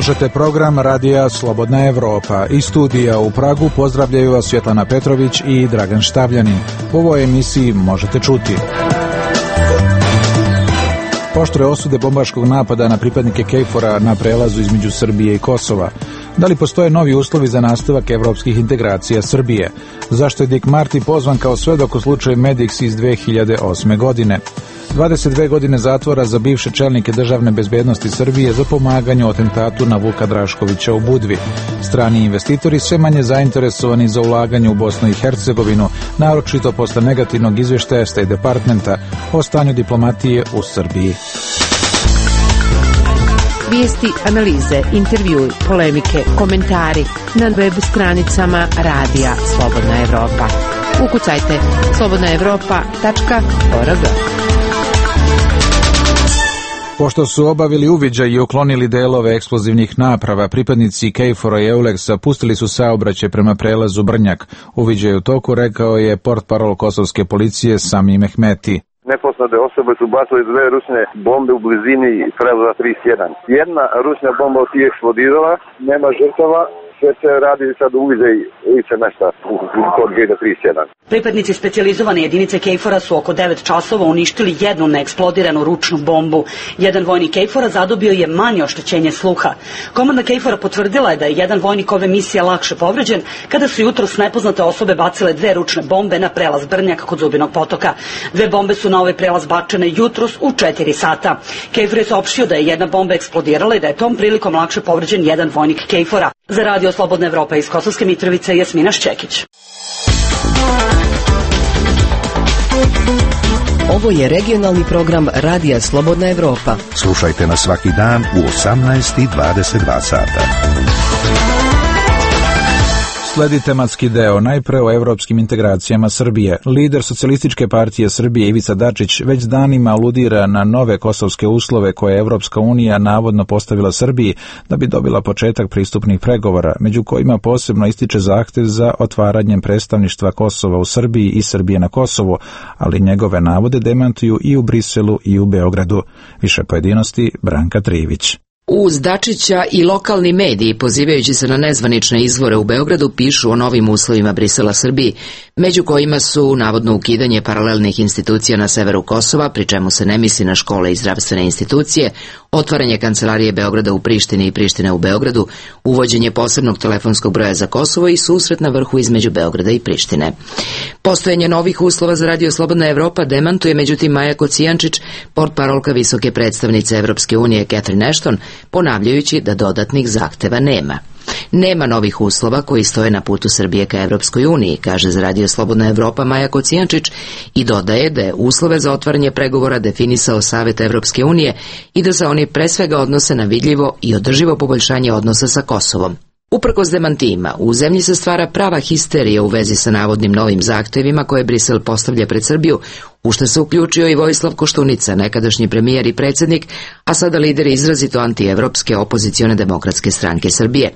Slušate program Radija Slobodna Evropa. Iz studija u Pragu pozdravljaju vas Svjetlana Petrović i Dragan Štavljanin. U ovoj emisiji možete čuti: oštre osude bombaškog napada na pripadnike KFOR-a na prelazu između Srbije i Kosova. Da li postoje novi uslovi za nastavak evropskih integracija Srbije? Zašto je Dick Marty pozvan kao svedok u slučaju Medix iz 2008. godine? 22 godine zatvora za bivše čelnike državne bezbednosti Srbije za pomaganje u atentatu na Vuka Draškovića u Budvi. Strani investitori sve manje zainteresovani za ulaganje u Bosnu i Hercegovinu, naročito posle negativnog izvještaja State Departmenta o stanju diplomatije u Srbiji. Vijesti, analize, intervjui, polemike, komentari na web stranicama Radija Slobodna Evropa. Ukucajte slobodnaevropa.org. Pošto su obavili uviđaj i uklonili delove eksplozivnih naprava, pripadnici KFOR-a i EULEX-a pustili su saobraćaj prema prelazu Brnjak. Uviđaj u toku, rekao je portparol kosovske policije Sami Mehmeti. Nepoznate osobe su bacili dve ručne bombe u blizini prelaza 31. Jedna ručna bomba je eksplodirala, nema žrtava. Sve se radi sad uviđaj lice mesta kod gejta 31. Pripadnici specijalizovane jedinice KFOR-a su oko 9 časova uništili jednu neeksplodiranu ručnu bombu. Jedan vojnik KFOR-a zadobio je manje oštećenje sluha. Komanda KFOR-a potvrdila je da je jedan vojnik ove misije lakše povređen kada su jutros nepoznate osobe bacile dve ručne bombe na prelaz Brnjak kod Zubinog potoka. Dve bombe su na ovaj prelaz bačene jutros u 4 sata. KFOR je saopštio da je jedna bomba eksplodirala i da je tom prilikom lakše povređen jedan vojnik KFOR-a. Za Radio Slobodna Evropa iz Kosovske Mitrovice, Jasmina Šćekić. Ovo je regionalni program Radija Slobodna Evropa. Slušajte nas svaki dan u 18:22 sata. Sledi tematski deo, najpre o evropskim integracijama Srbije. Lider Socijalističke partije Srbije Ivica Dačić već danima aludira na nove kosovske uslove koje je Evropska unija navodno postavila Srbiji da bi dobila početak pristupnih pregovora, među kojima posebno ističe zahtev za otvaranjem predstavništva Kosova u Srbiji i Srbije na Kosovu, ali njegove navode demantuju i u Briselu i u Beogradu. Više pojedinosti Branka Trivić. Uz Dačića i lokalni mediji, pozivajući se na nezvanične izvore u Beogradu, pišu o novim uslovima Brisela Srbiji, među kojima su navodno ukidanje paralelnih institucija na severu Kosova, pri čemu se ne misli na škole i zdravstvene institucije, otvaranje kancelarije Beograda u Prištini i Prištine u Beogradu, uvođenje posebnog telefonskog broja za Kosovo i susret na vrhu između Beograda i Prištine. Postojanje novih uslova za Radio Slobodna Evropa demantuje međutim Maja Kocijančić, portparolka visoke predstavnice Evropske unije Catherine Ashton, ponavljajući da dodatnih zahteva nema. Nema novih uslova koji stoje na putu Srbije ka Evropskoj uniji, kaže za Radio Slobodna Evropa Maja Kocijančić i dodaje da je uslove za otvaranje pregovora definisao Savet Evropske unije i da se oni pre svega odnose na vidljivo i održivo poboljšanje odnosa sa Kosovom. Uprkos demantijima, u zemlji se stvara prava histerija u vezi sa navodnim novim zahtevima koje Brisel postavlja pred Srbiju, u što se uključio i Vojislav Koštunica, nekadašnji premijer i predsjednik, a sada lider izrazito antievropske opozicione demokratske stranke Srbije,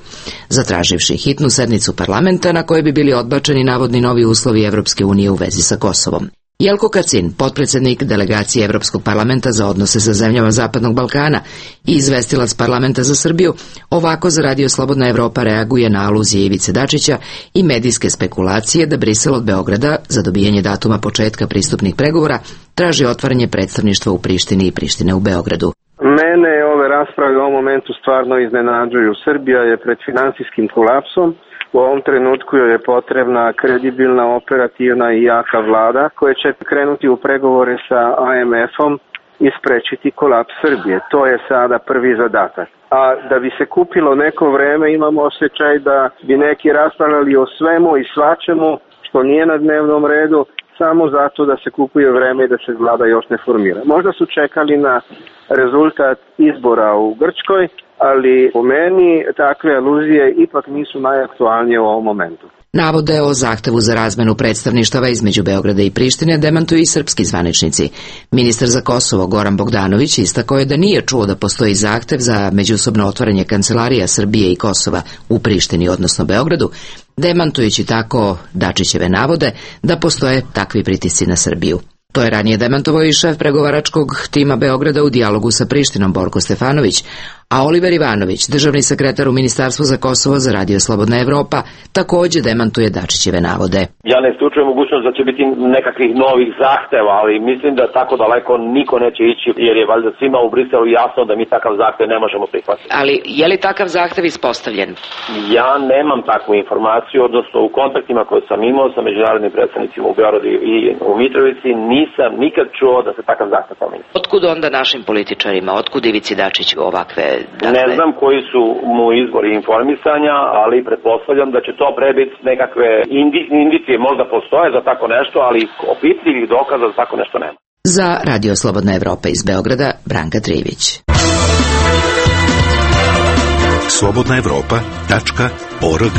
zatraživši hitnu sednicu parlamenta na kojoj bi bili odbačeni navodni novi uslovi Evropske unije u vezi sa Kosovom. Jelko Kacin, potpredsjednik delegacije Evropskog parlamenta za odnose sa zemljama Zapadnog Balkana i izvestilac parlamenta za Srbiju, ovako za Radio Slobodna Evropa reaguje na aluzije Ivice Dačića i medijske spekulacije da Brisel od Beograda za dobijanje datuma početka pristupnih pregovora traži otvaranje predstavništva u Prištini i Prištine u Beogradu. Mene ove rasprave u ovom momentu stvarno iznenađuju. Srbija je pred finansijskim kolapsom. U ovom trenutku joj je potrebna kredibilna, operativna i jaka vlada koja će krenuti u pregovore sa IMF-om i sprečiti kolaps Srbije. To je sada prvi zadatak. A da bi se kupilo neko vreme, imamo osjećaj da bi neki raspravljali o svemu i svačemu što nije na dnevnom redu, samo zato da se kupuje vreme i da se vlada još ne formira. Možda su čekali na rezultat izbora u Grčkoj, ali po meni takve aluzije ipak nisu najaktualnije u ovom momentu. Navode o zahtevu za razmenu predstavništava između Beograda i Prištine demantuju i srpski zvaničnici. Ministar za Kosovo Goran Bogdanović istakao je da nije čuo da postoji zahtev za međusobno otvaranje kancelarija Srbije i Kosova u Prištini, odnosno Beogradu, demantujući tako Dačićeve navode da postoje takvi pritisci na Srbiju. To je ranije demantovao i šef pregovaračkog tima Beograda u dijalogu sa Prištinom Borko Stefanović, A Oliver Ivanović, državni sekretar u Ministarstvu za Kosovo za Radio Slobodna Evropa, takođe demantuje Dačićeve navode. Ja ne isključujem mogućnost da će biti nekakvih novih zahteva, ali mislim da tako daleko niko neće ići, jer je valjda svima u Briselu jasno da mi takav zahtev ne možemo prihvatiti. Ali je li takav zahtev ispostavljen? Ja nemam takvu informaciju, odnosno u kontaktima koje sam imao sa međunarodnim predstavnicima u Beogradu i u Mitrovici nisam nikad čuo da se takav zahtev pominje. Otkud onda našim političarima, otkud Ivici Dačiću ovakve... Ne znam koji su mu izvori informisanja, ali pretpostavljam da će to prebiti nekakve indicije, možda postoje za tako nešto, ali opipljivih dokaza za tako nešto nema. Za Radio Slobodna Evropa iz Beograda, Branka Trivić. slobodnaevropa.org.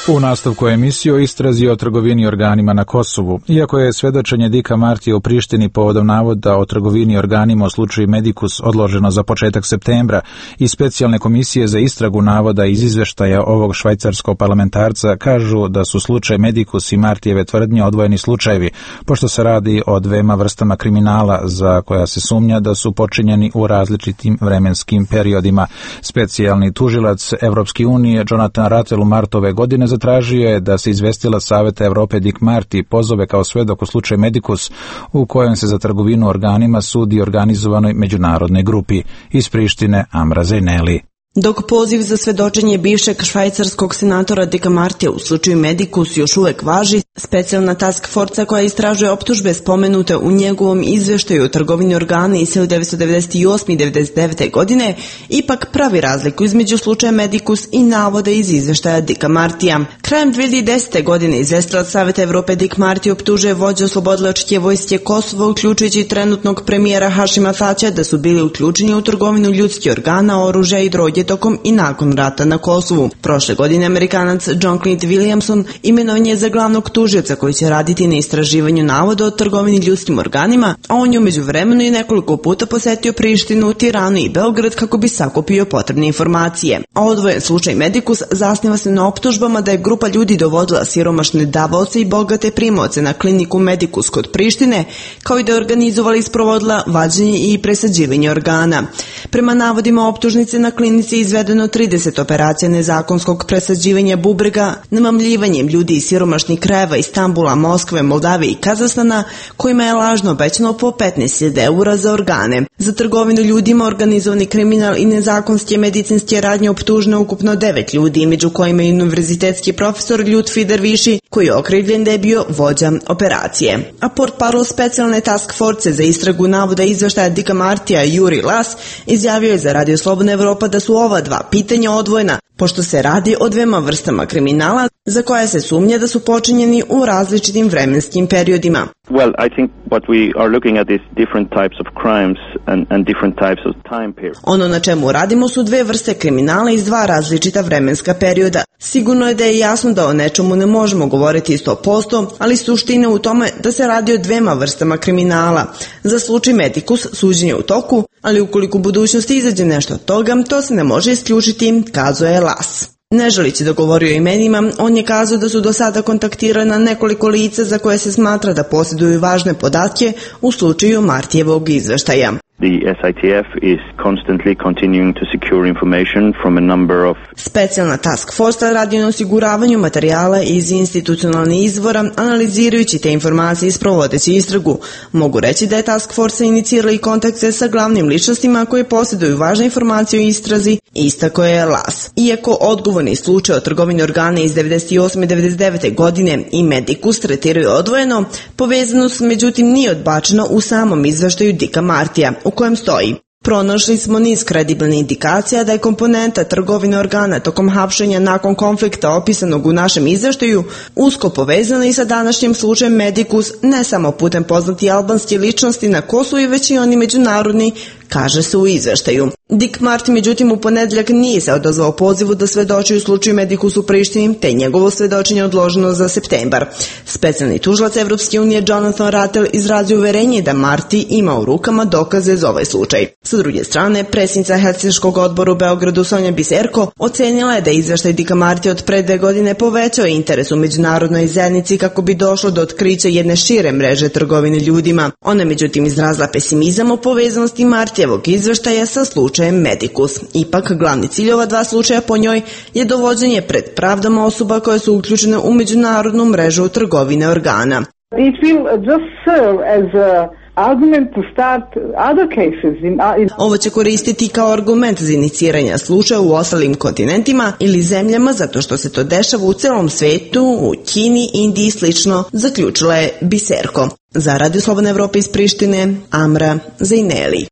U nastavku emisije o istrazi o trgovini organima na Kosovu. Iako je svedočenje Dika Martija u Prištini povodom navoda o trgovini organima u slučaju Medicus odloženo za početak septembra i specijalne komisije za istragu navoda iz izveštaja ovog švajcarskog parlamentarca kažu da su slučaj Medicus i Martijeve tvrdnje odvojeni slučajevi, pošto se radi o dvema vrstama kriminala za koja se sumnja da su počinjeni u različitim vremenskim periodima. Specijalni tužilac Evropske unije Jonathan Rattel u martu ove godine zatražio je da se izvestila Saveta Evrope Dick Marty pozove kao svedok u slučaju Medicus, u kojem se za trgovinu organima sudi organizovanoj međunarodnoj grupi. Iz Prištine Amra Zejneli. Dok poziv za svedočenje bivšeg švajcarskog senatora Dicka Martija u slučaju Medicus još uvek važi, specijalna task forca koja istražuje optužbe spomenute u njegovom izveštaju o trgovini organa iz 1998. i 1999. godine ipak pravi razliku između slučaja Medicus i navode iz izveštaja Dicka Martija. Krajem 2010. godine izvestilac Saveta Evrope Dick Marty optužuje vođu oslobodilačke vojske Kosova, uključujući trenutnog premijera Hašima Tačija, da su bili uključeni u trgovinu ljudskih organa, oružja i droge tokom i nakon rata na Kosovu. Prošle godine Amerikanac John Clint Williamson imenovan je za glavnog tužioca koji će raditi na istraživanju navoda o trgovini ljudskim organima, a on je u međuvremenu i nekoliko puta posetio Prištinu, Tiranu i Beograd kako bi sakupio potrebne informacije. A odvojen slučaj Medicus zasniva se na optužbama da je grupa ljudi dovodila siromašne davaoce i bogate primaoce na kliniku Medicus kod Prištine, kao i da je organizovala i sprovodila vađenje i presađivanje organa. Prema navodima optužnice, na klinici izvedeno 30 operacija nezakonskog presađivanja bubrega, namamljivanjem ljudi iz siromašnih krajeva Istambula, Moskve, Moldavije i Kazahstana, kojima je lažno obećano po 15.000 eura za organe. Za trgovinu ljudima, organizovani kriminal i nezakonske medicinske radnje optuženo ukupno 9 ljudi, među kojima je univerzitetski profesor Ljutfi Derviši, koji je okrivljen da je bio vođa operacije. A portparol specijalne task force za istragu navoda izveštaja Dicka Martija Juri Las izjavio je za Radio Slobodna Evropa da su ova dva pitanja odvojena, pošto se radi o dvema vrstama kriminala za koje se sumnja da su počinjeni u različitim vremenskim periodima. Well, I think what we are looking at is different types of crimes and different types of time periods. Ono na čemu radimo su dve vrste kriminala iz dva različita vremenska perioda. Sigurno je da je jasno da o nečemu ne možemo govoriti 100%, ali suština u tome da se radi o dvema vrstama kriminala. Za slučaj Medicus suđenje u toku, ali ukoliko u budućnosti izađe nešto od toga, to se ne može isključiti, kazao je Las. Ne želići da govori o imenima, on je kazao da su do sada kontaktirana nekoliko lica za koje se smatra da posjeduju važne podatke u slučaju Martijevog izveštaja. The SITF is constantly continuing to secure information from a number of... Specijalna task force radi na osiguravanju materijala iz institucionalnih izvora, analizirajući te informacije i sprovodeći istragu. Mogu reći da je task force inicirala i kontakte sa glavnim ličnostima koji posjeduju važne informacije o istrazi, istako je Las. Iako odgovorni slučaj o trgovini organa iz 98. i 99. godine i Medicus tretiraju odvojeno, povezanost međutim nije odbačena u samom izveštaju Dicka Martija, u kojem stoji: pronašli smo niz kredibilnih indikacija da je komponenta trgovine organa tokom hapšenja nakon konflikta opisanog u našem izveštaju usko povezana i sa današnjim slučajem Medicus, ne samo putem poznati albanske ličnosti na Kosovu, već i oni međunarodni, kaže se u izveštaju. Dick Marty međutim u ponedeljak nije se odazvao pozivu da svedoči u slučaju Medicus u Prištini, te njegovo svedočenje odloženo za septembar. Specijalni tužilac Evropske unije Jonathan Rattel izrazio uverenje da Marty ima u rukama dokaze za ovaj slučaj. Sa druge strane, predsjednica Helsinškog odbora u Beogradu Sonja Biserko ocenila je da izveštaj Dicka Martija od pre 2 godine povećao interes u međunarodnoj zajednici kako bi došlo do otkrića jedne šire mreže trgovine ljudima. Ona međutim izrazila pesimizam o povezanosti Martija Martijevog izveštaja sa slučajem Medicus. Ipak, glavni cilj ova dva slučaja po njoj je dovođenje pred pravdom osoba koje su uključene u međunarodnu mrežu trgovine organa. It will just serve as a argument to start other cases. Ovo će koristiti kao argument za iniciranje slučaja u ostalim kontinentima ili zemljama zato što se to dešava u celom svetu, u Kini, Indiji i slično, zaključila je Biserko. Za Radio Slobodna Evropa iz Prištine, Amra Zajneli.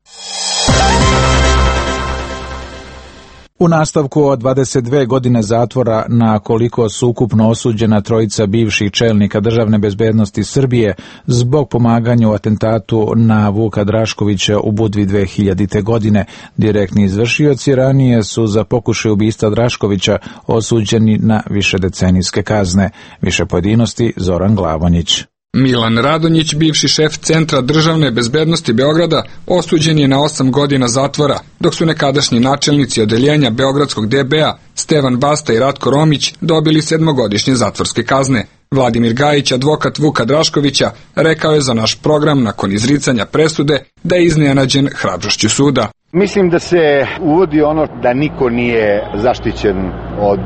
U nastavku od 22 godine zatvora na koliko su ukupno osuđena trojica bivših čelnika državne bezbednosti Srbije zbog pomaganja u atentatu na Vuka Draškovića u Budvi 2000. godine. Direktni izvršioci ranije su za pokušaj ubistva Draškovića osuđeni na višedecenijske kazne. Više pojedinosti Zoran Glavonjić. Milan Radonjić, bivši šef Centra državne bezbednosti Beograda, osuđen je na 8 godina zatvora, dok su nekadašnji načelnici odeljenja Beogradskog DB-a Stevan Basta i Ratko Romić dobili 7-godišnje zatvorske kazne. Vladimir Gajić, advokat Vuka Draškovića, rekao je za naš program nakon izricanja presude da je iznenađen hrabrošću suda. Mislim da se uvodi ono da niko nije zaštićen od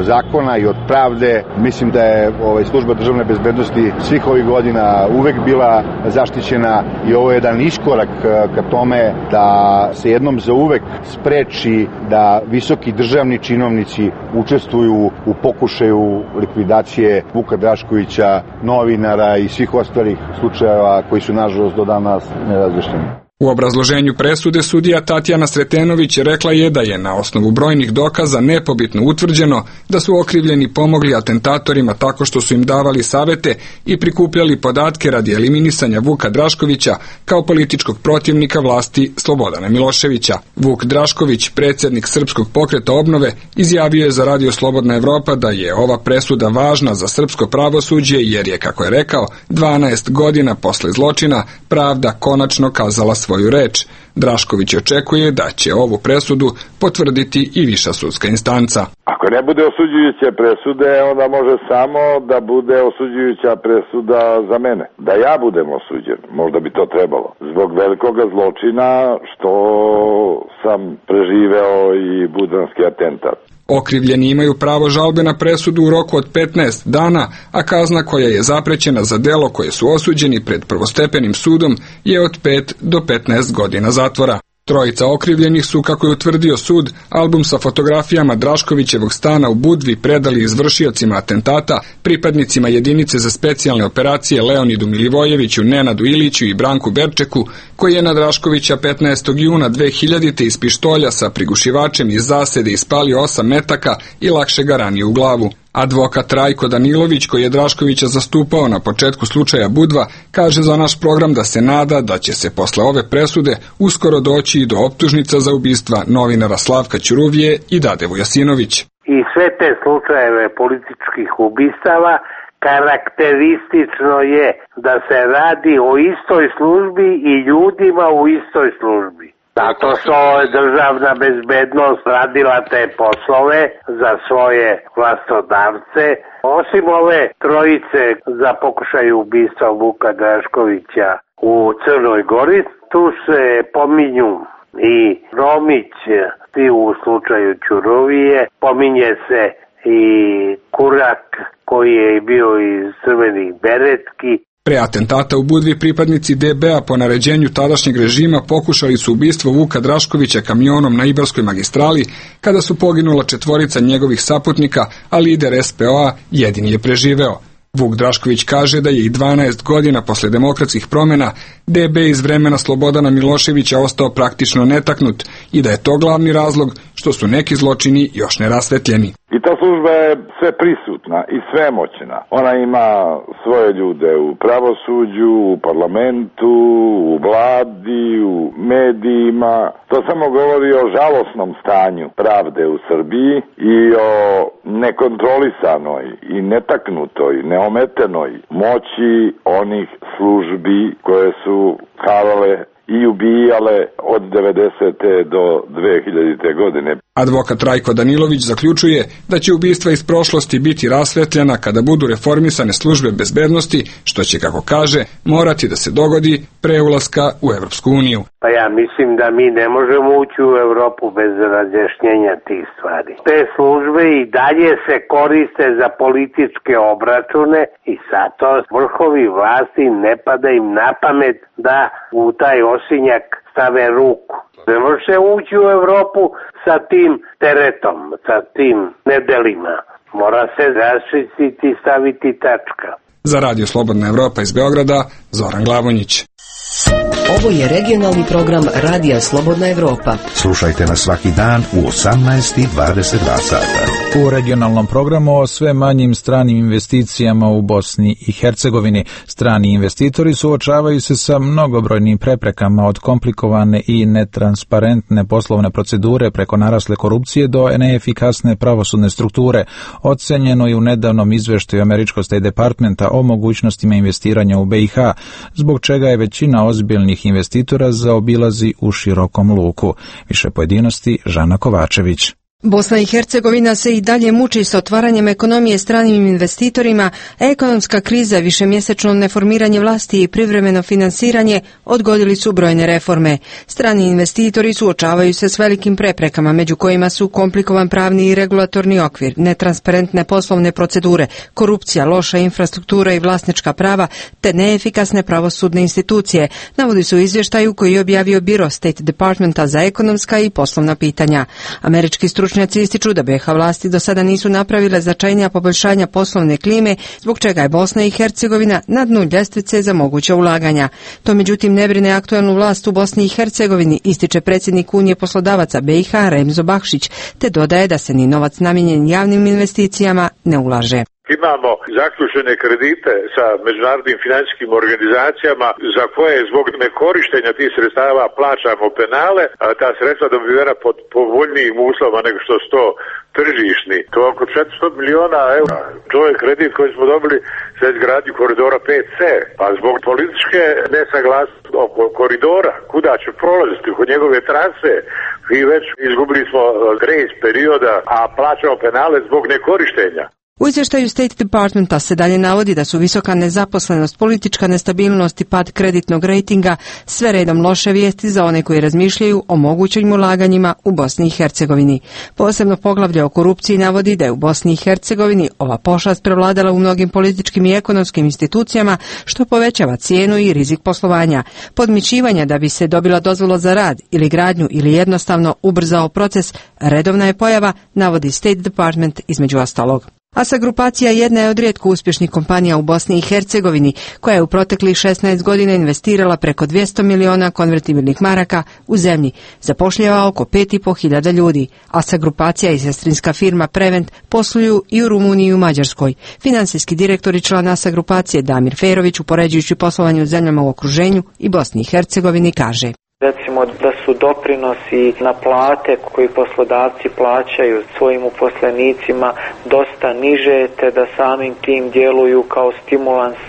zakona i od pravde. Mislim da je služba državne bezbednosti svih ovih godina uvek bila zaštićena i ovo je jedan iskorak ka tome da se jednom za uvek spreči da visoki državni činovnici učestvuju u pokušaju likvidacije Vuka Draškovića, novinara i svih ostalih slučajeva koji su nažalost do danas nerazrešeni. U obrazloženju presude sudija Tatjana Sretenović rekla je da je na osnovu brojnih dokaza nepobitno utvrđeno da su okrivljeni pomogli atentatorima tako što su im davali savete i prikupljali podatke radi eliminisanja Vuka Draškovića kao političkog protivnika vlasti Slobodana Miloševića. Vuk Drašković, predsjednik Srpskog pokreta obnove, izjavio je za Radio Slobodna Evropa da je ova presuda važna za srpsko pravosuđe jer je, kako je rekao, 12 godina posle zločina pravda konačno kazala svoju reč. Drašković očekuje da će ovu presudu potvrditi i viša sudska instanca. Ako ne bude osuđujuće presude, onda može samo da bude osuđujuća presuda za mene. Da ja budem osuđen, možda bi to trebalo. Zbog velikoga zločina što sam preživeo i budanski atentat. Okrivljeni imaju pravo žalbe na presudu u roku od 15 dana, a kazna koja je zaprećena za delo koje su osuđeni pred prvostepenim sudom je od 5 do 15 godina zatvora. Trojica okrivljenih su, kako je utvrdio sud, album sa fotografijama Draškovićevog stana u Budvi predali izvršiocima atentata, pripadnicima jedinice za specijalne operacije Leonidu Milivojeviću, Nenadu Iliću i Branku Berčeku, koji je na Draškovića 15. juna 2000. iz pištolja sa prigušivačem iz zasede ispalio 8 metaka i lakše ga ranio u glavu. Advokat Rajko Danilović, koji je Draškovića zastupao na početku slučaja Budva, kaže za naš program da se nada da će se posle ove presude uskoro doći i do optužnica za ubistva novinara Slavka Ćuruvije i Dade Vujasinović. I sve te slučajeve političkih ubistava karakteristično je da se radi o istoj službi i ljudima u istoj službi. Zato što je državna bezbednost radila te poslove za svoje vlastodavce. Osim ove trojice za pokušaj ubistva Vuka Draškovića u Crnoj Gori, tu se pominju i Romić i u slučaju Ćuruvije, pominje se i Kurak koji je bio iz Crvenih beretki. Pre atentata u Budvi pripadnici DB-a po naređenju tadašnjeg režima pokušali su ubistvo Vuka Draškovića kamionom na Ibarskoj magistrali kada su poginula 4 njegovih saputnika, a lider SPO-a jedini je preživeo. Vuk Drašković kaže da je i 12 godina posle demokratskih promjena DB iz vremena Slobodana Miloševića ostao praktično netaknut i da je to glavni razlog što su neki zločini još nerasvetljeni. I ta služba je sve prisutna i svemoćna. Ona ima svoje ljude u pravosuđu, u parlamentu, u vladi, u medijima. To samo govori o žalosnom stanju pravde u Srbiji i o nekontrolisanoj i netaknutoj, neometenoj moći onih službi koje su harale i ubijale od 90. do 2000. godine. Advokat Rajko Danilović zaključuje da će ubistva iz prošlosti biti rasvetljena kada budu reformisane službe bezbednosti, što će, kako kaže, morati da se dogodi pre ulaska u Evropsku uniju. Pa ja mislim da mi ne možemo ući u Evropu bez razjašnjenja tih stvari. Te službe i dalje se koriste za političke obračune i zato vrhovi vlasti ne pada im na pamet da u taj osinjak stave ruku. Ne može se ući u Evropu sa tim teretom, sa tim nedelima. Mora se raščistiti i staviti tačka. Za Radio Slobodna Evropa iz Beograda, Zoran Glavonjić. Ovo je regionalni program Radija Slobodna Evropa. Slušajte nas svaki dan u 18:22 sata. U regionalnom programu o sve manjim stranim investicijama u Bosni i Hercegovini. Strani investitori suočavaju se sa mnogobrojnim preprekama, od komplikovane i netransparentne poslovne procedure preko narasle korupcije do neefikasne pravosudne strukture. Ocenjeno je u nedavnom izveštaju američkog State Departmenta o mogućnostima investiranja u BiH, zbog čega je većina ozbiljnih investitora zaobilazi u širokom luku. Više pojedinosti Žana Kovačević. Bosna i Hercegovina se i dalje muči sa otvaranjem ekonomije stranim investitorima, ekonomska kriza, višemjesečno neformiranje vlasti i privremeno finansiranje odgodili su brojne reforme. Strani investitori suočavaju se s velikim preprekama, među kojima su komplikovan pravni i regulatorni okvir, netransparentne poslovne procedure, korupcija, loša infrastruktura i vlasnička prava, te neefikasne pravosudne institucije, navodi su u izvještaju koji je objavio Biro State Departmenta za ekonomska i poslovna pitanja. Američki stručnjaci ističu da BiH vlasti do sada nisu napravile značajnija poboljšanja poslovne klime, zbog čega je Bosna i Hercegovina na dnu ljestvice za moguća ulaganja. To međutim ne brine aktuelnu vlast u Bosni i Hercegovini, ističe predsjednik Unije poslodavaca BiH Remzo Bakšić, te dodaje da se ni novac namijenjen javnim investicijama ne ulaže. Imamo zaključene kredite sa međunarodnim financijskim organizacijama za koje zbog nekorištenja tih sredstava plaćamo penale, a ta sredstva dobivena pod povoljnijim uslovima nego što su to tržišni. To je oko 400 miliona eura. To je kredit koji smo dobili za izgradnju koridora 5C. A zbog političke nesaglasnosti oko koridora, kuda će prolaziti kod njegove trase, i već izgubili smo grace perioda, a plaćamo penale zbog nekorištenja. U izvještaju State Departmenta se dalje navodi da su visoka nezaposlenost, politička nestabilnost i pad kreditnog rejtinga sve redom loše vijesti za one koji razmišljaju o mogućim ulaganjima u Bosni i Hercegovini. Posebno poglavlje o korupciji navodi da je u Bosni i Hercegovini ova pošast prevladala u mnogim političkim i ekonomskim institucijama, što povećava cijenu i rizik poslovanja. Podmićivanja da bi se dobila dozvola za rad ili gradnju ili jednostavno ubrzao proces redovna je pojava, navodi State Department između ostalog. ASA grupacija jedna je od rijetko uspješnih kompanija u Bosni i Hercegovini, koja je u proteklih 16 godina investirala preko 200 miliona konvertibilnih maraka u zemlji, zapošljava oko 5.500 ljudi. ASA grupacija i sestrinska firma Prevent posluju i u Rumuniji i u Mađarskoj. Finansijski direktor i član ASA grupacije Damir Ferović, upoređujući poslovanje u zemljama u okruženju i Bosni i Hercegovini, kaže: Recimo da su doprinosi na plate koji poslodavci plaćaju svojim uposlenicima dosta niže, te da samim tim djeluju kao stimulans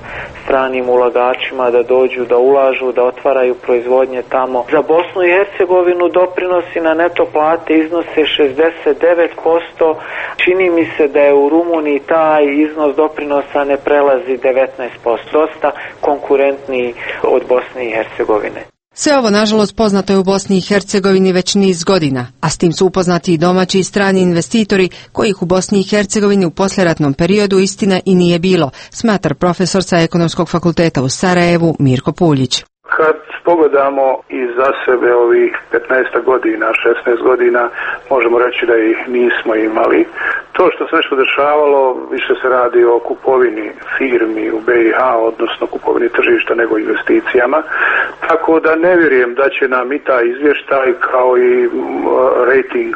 stranim ulagačima da dođu, da ulažu, da otvaraju proizvodnje tamo. Za Bosnu i Hercegovinu doprinosi na neto plate iznose 69%. Čini mi se da je u Rumuniji taj iznos doprinosa ne prelazi 19%. Dosta konkurentniji od Bosne i Hercegovine. Sve ovo, nažalost, poznato je u Bosni i Hercegovini već niz godina, a s tim su upoznati i domaći i strani investitori, kojih u Bosni i Hercegovini u poslijeratnom periodu istina i nije bilo, smatra profesor sa Ekonomskog fakulteta u Sarajevu Mirko Puljić. Kad pogledamo iza sebe ovih 15 godina, 16 godina, možemo reći da ih nismo imali. To što se nešto dešavalo, više se radi o kupovini firmi u BiH, odnosno kupovini tržišta nego investicijama. Tako da ne vjerujem da će nam i taj izvještaj kao i rating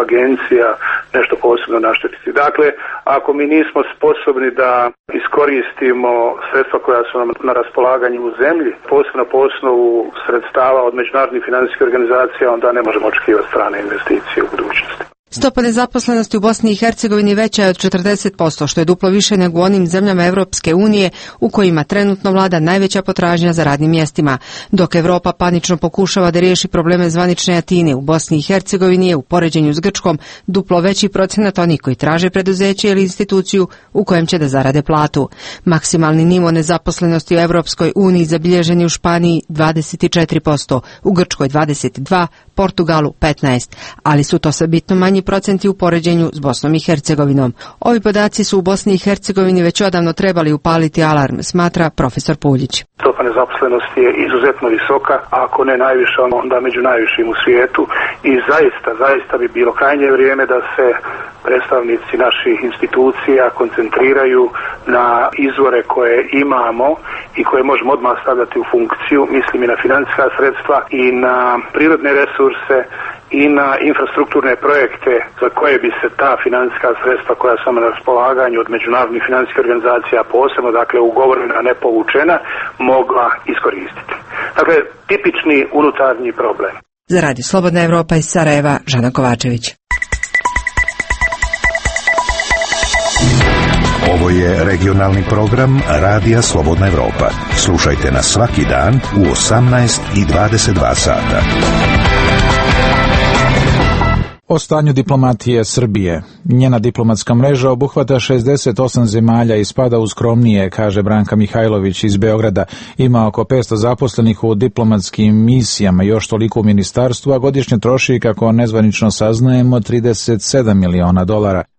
agencija nešto posebno naštetiti. Dakle, ako mi nismo sposobni da iskoristimo sredstva koja su nam na raspolaganju u zemlji, posebno po osnovu sredstava od međunarodnih financijskih organizacija, onda ne možemo očekivati strane investicije u budućnosti. Stopa nezaposlenosti u Bosni i Hercegovini veća je od 40%, što je duplo više nego u onim zemljama Evropske unije u kojima trenutno vlada najveća potražnja za radnim mjestima. Dok Evropa panično pokušava da riješi probleme zvanične Atine, u Bosni i Hercegovini je u poređenju s Grčkom duplo veći procenat onih koji traže preduzeće ili instituciju u kojem će da zarade platu. Maksimalni nivo nezaposlenosti u Evropskoj uniji zabilježen je u Španiji 24%, u Grčkoj 22%, Portugalu 15%, ali su to sve bitno manji procenti u poređenju s Bosnom i Hercegovinom. Ovi podaci su u Bosni i Hercegovini već odavno trebali upaliti alarm, smatra profesor Puljić. Stopa nezaposlenosti je izuzetno visoka, a ako ne najviša, onda među najvišim u svijetu i zaista bi bilo krajnje vrijeme da se predstavnici naših institucija koncentriraju na izvore koje imamo i koje možemo odmah stavljati u funkciju, mislim i na financijska sredstva i na prirodne resurse i na infrastrukturne projekte za koje bi se ta financijska sredstva koja su na raspolaganju od međunarodnih financijskih organizacija, posebno dakle ugovorena, a ne povučena, mogla iskoristiti. Dakle, tipični unutarnji problem. Za Radio Slobodna Evropa iz Sarajeva, Žana Kovačević. Ovo je regionalni program Radija Slobodna Evropa. Slušajte nas svaki dan u 18 i 22 sata. O stanju diplomatije Srbije. Njena diplomatska mreža obuhvata 68 zemalja i spada u skromnije, kaže Branka Mihajlović iz Beograda. Ima oko 500 zaposlenih u diplomatskim misijama, još toliko u ministarstvu, a godišnje troši, kako nezvanično saznajemo, $37 miliona.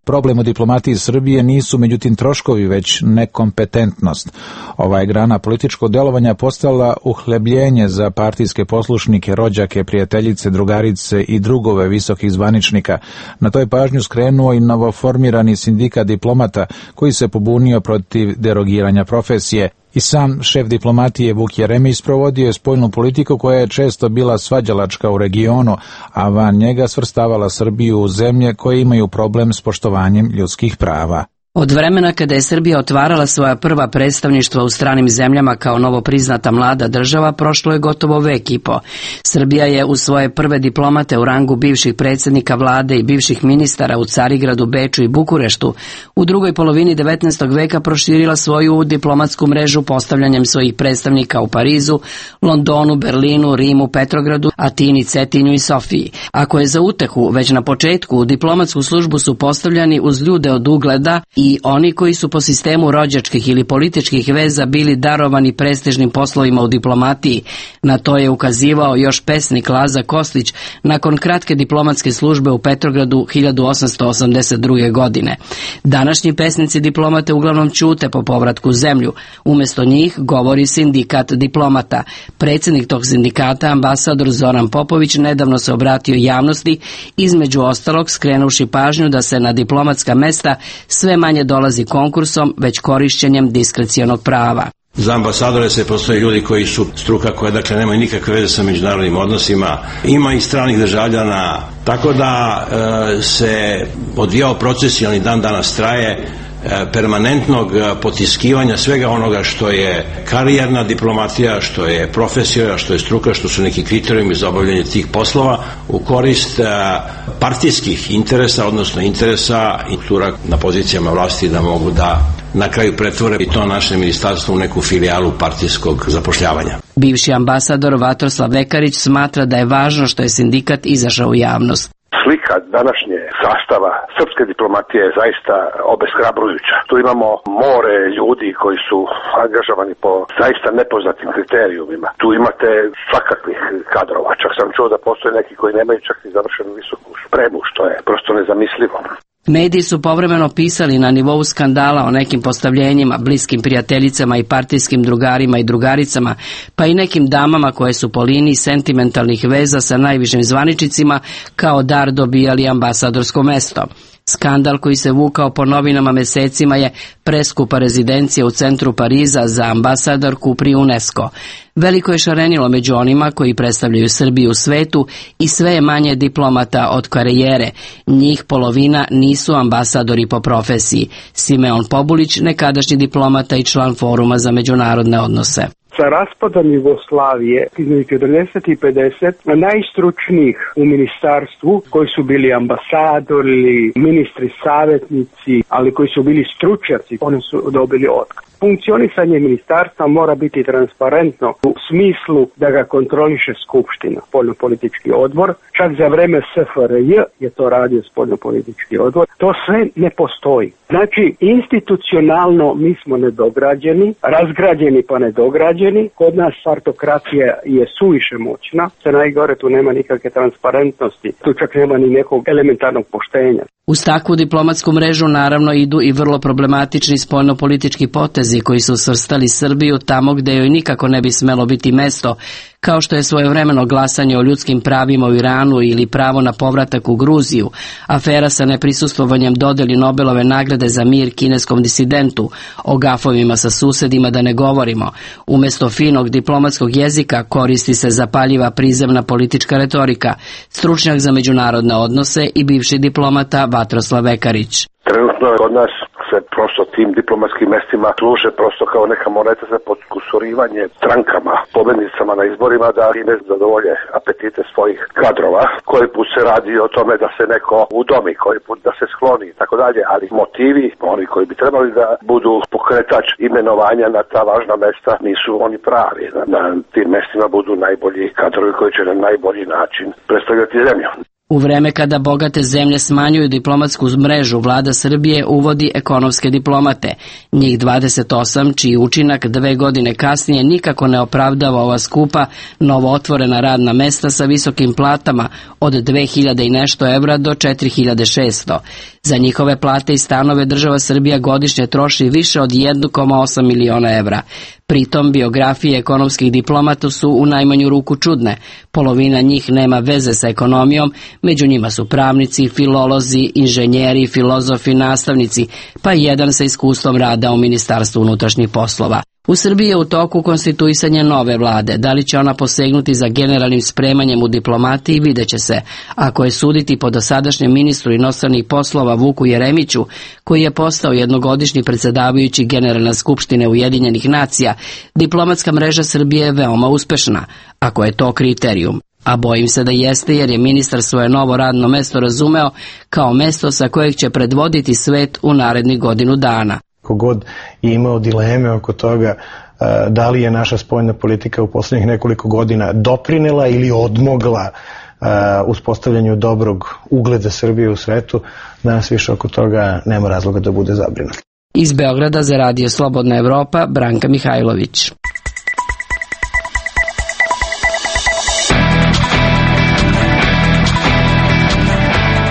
Problem u diplomatiji Srbije nisu međutim troškovi, već nekompetentnost. Ova je grana političkog delovanja postala uhlebljenje za partijske poslušnike, rođake, prijateljice, drugarice i drugove visokih zvaničnika. Na to je pažnju skrenuo i novoformirani sindikat diplomata koji se pobunio protiv derogiranja profesije. I sam šef diplomatije Vuk Jeremić provodio je spoljnu politiku koja je često bila svađalačka u regionu, a van njega svrstavala Srbiju u zemlje koje imaju problem s poštovanjem ljudskih prava. Od vremena kada je Srbija otvarala svoja prva predstavništva u stranim zemljama kao novo priznata mlada država, prošlo je gotovo vek i po. Srbija je u svoje prve diplomate u rangu bivših predsjednika vlade i bivših ministara u Carigradu, Beču i Bukureštu u drugoj polovini 19. veka proširila svoju diplomatsku mrežu postavljanjem svojih predstavnika u Parizu, Londonu, Berlinu, Rimu, Petrogradu, Atini, Cetinju i Sofiji. Ako je za utehu, već na početku u diplomatsku službu su postavljani uz ljude od ugleda i oni koji su po sistemu rođačkih ili političkih veza bili darovani prestižnim poslovima u diplomatiji. Na to je ukazivao još pesnik Laza Kostić nakon kratke diplomatske službe u Petrogradu 1882. godine. Današnji pesnici diplomate uglavnom ćute po povratku u zemlju. Umjesto njih govori sindikat diplomata. Predsjednik tog sindikata, ambasador Zoran Popović, nedavno se obratio javnosti, između ostalog skrenuvši pažnju da se na diplomatska mesta sve manje dolazi konkursom, već korišćenjem diskrecionog prava. Za ambasadore se postoje ljudi koji su struka koja dakle nemaju nikakve veze sa međunarodnim odnosima, ima i stranih državljana, tako da se odvijao proces i on i dan danas traje permanentnog potiskivanja svega onoga što je karijerna diplomatija, što je profesija, što je struka, što su neki kriterijumi za obavljanje tih poslova u korist partijskih interesa, odnosno interesa struktura na pozicijama vlasti da mogu da na kraju pretvore i to naše ministarstvo u neku filijalu partijskog zapošljavanja. Bivši ambasador Vatroslav Vekarić smatra da je važno što je sindikat izašao u javnost. Slika današnje sastava srpske diplomatije je zaista obeshrabrujuća. Tu imamo more ljudi koji su angažovani po zaista nepoznatim kriterijumima. Tu imate svakakvih kadrova. Čak sam čuo da postoje neki koji nemaju čak i završenu visoku spremu, što je prosto nezamislivo. Mediji su povremeno pisali na nivou skandala o nekim postavljenjima, bliskim prijateljicama i partijskim drugarima i drugaricama, pa i nekim damama koje su po liniji sentimentalnih veza sa najvišim zvaničnicima kao dar dobijali ambasadorsko mesto. Skandal koji se vukao po novinama mesecima je preskupa rezidencija u centru Pariza za ambasadorku pri UNESCO. Veliko je šarenilo među onima koji predstavljaju Srbiju u svetu i sve je manje diplomata od karijere. Njih polovina nisu ambasadori po profesiji. Simeon Pobulić, nekadašnji diplomata i član Foruma za međunarodne odnose. Sa raspadom Jugoslavije između 40 i 50 najstručnijih u ministarstvu koji su bili ambasadori, ministri, savjetnici, ali koji su bili stručnjaci, oni su dobili otkaz. Funkcionisanje ministarstva mora biti transparentno u smislu da ga kontroliše Skupština, spoljnopolitički odbor. Čak za vreme SFRJ je to radio spoljnopolitički odbor. To sve ne postoji. Znači, institucionalno mi smo nedograđeni, razgrađeni pa nedograđeni. Kod nas partokratija je suviše moćna. Sve najgore, tu nema nikakve transparentnosti. Tu čak nema ni nekog elementarnog poštenja. Uz takvu diplomatsku mrežu naravno idu i vrlo problematični spoljnopolitički potezi koji su svrstali Srbiju tamo gde joj nikako ne bi smelo biti mesto, kao što je svojevremeno glasanje o ljudskim pravima u Iranu ili pravo na povratak u Gruziju, afera sa neprisustvovanjem dodeli Nobelove nagrade za mir kineskom disidentu, o gafovima sa susedima da ne govorimo. Umesto finog diplomatskog jezika koristi se zapaljiva prizemna politička retorika, stručnjak za međunarodne odnose i bivši diplomata Vatroslav Vekarić. Trenutno kod nas se prosto tim diplomatskim mestima služe prosto kao neka moneta za podkusurivanje strankama, pobednicama na izborima da time zadovolje apetite svojih kadrova. Koji put se radi o tome da se neko udomi, koji put da se skloni i tako dalje, ali motivi, oni koji bi trebali da budu pokretač imenovanja na ta važna mesta, nisu oni pravi. Na tim mestima budu najbolji kadrovi koji će na najbolji način predstavljati zemlju. U vreme kada bogate zemlje smanjuju diplomatsku mrežu, vlada Srbije uvodi ekonomske diplomate. Njih 28, čiji učinak 2 godine kasnije nikako ne opravdava ova skupa, novo otvorena radna mesta sa visokim platama od 2000 i nešto evra do 4600. Za njihove plate i stanove država Srbija godišnje troši više od 1,8 miliona evra. Pritom biografije ekonomskih diplomata su u najmanju ruku čudne. Polovina njih nema veze sa ekonomijom, među njima su pravnici, filolozi, inženjeri, filozofi, nastavnici, pa i jedan sa iskustvom rada u Ministarstvu unutrašnjih poslova. U Srbiji je u toku konstituisanje nove vlade. Da li će ona posegnuti za generalnim spremanjem u diplomatiji, vidjet će se. Ako je suditi po dosadašnjem ministru inostranih poslova Vuku Jeremiću, koji je postao jednogodišnji predsjedavajući Generalne skupštine Ujedinjenih nacija, diplomatska mreža Srbije je veoma uspešna, ako je to kriterijum. A bojim se da jeste, jer je ministar svoje novo radno mesto razumeo kao mesto sa kojeg će predvoditi svet u narednih godinu dana. Kogod je imao dileme oko toga da li je naša spoljna politika u poslednjih nekoliko godina doprinela ili odmogla uspostavljanju dobrog ugleda Srbije u svetu, danas više oko toga nema razloga da bude zabrinut. Iz Beograda za Radio Slobodna Evropa, Branka Mihajlović.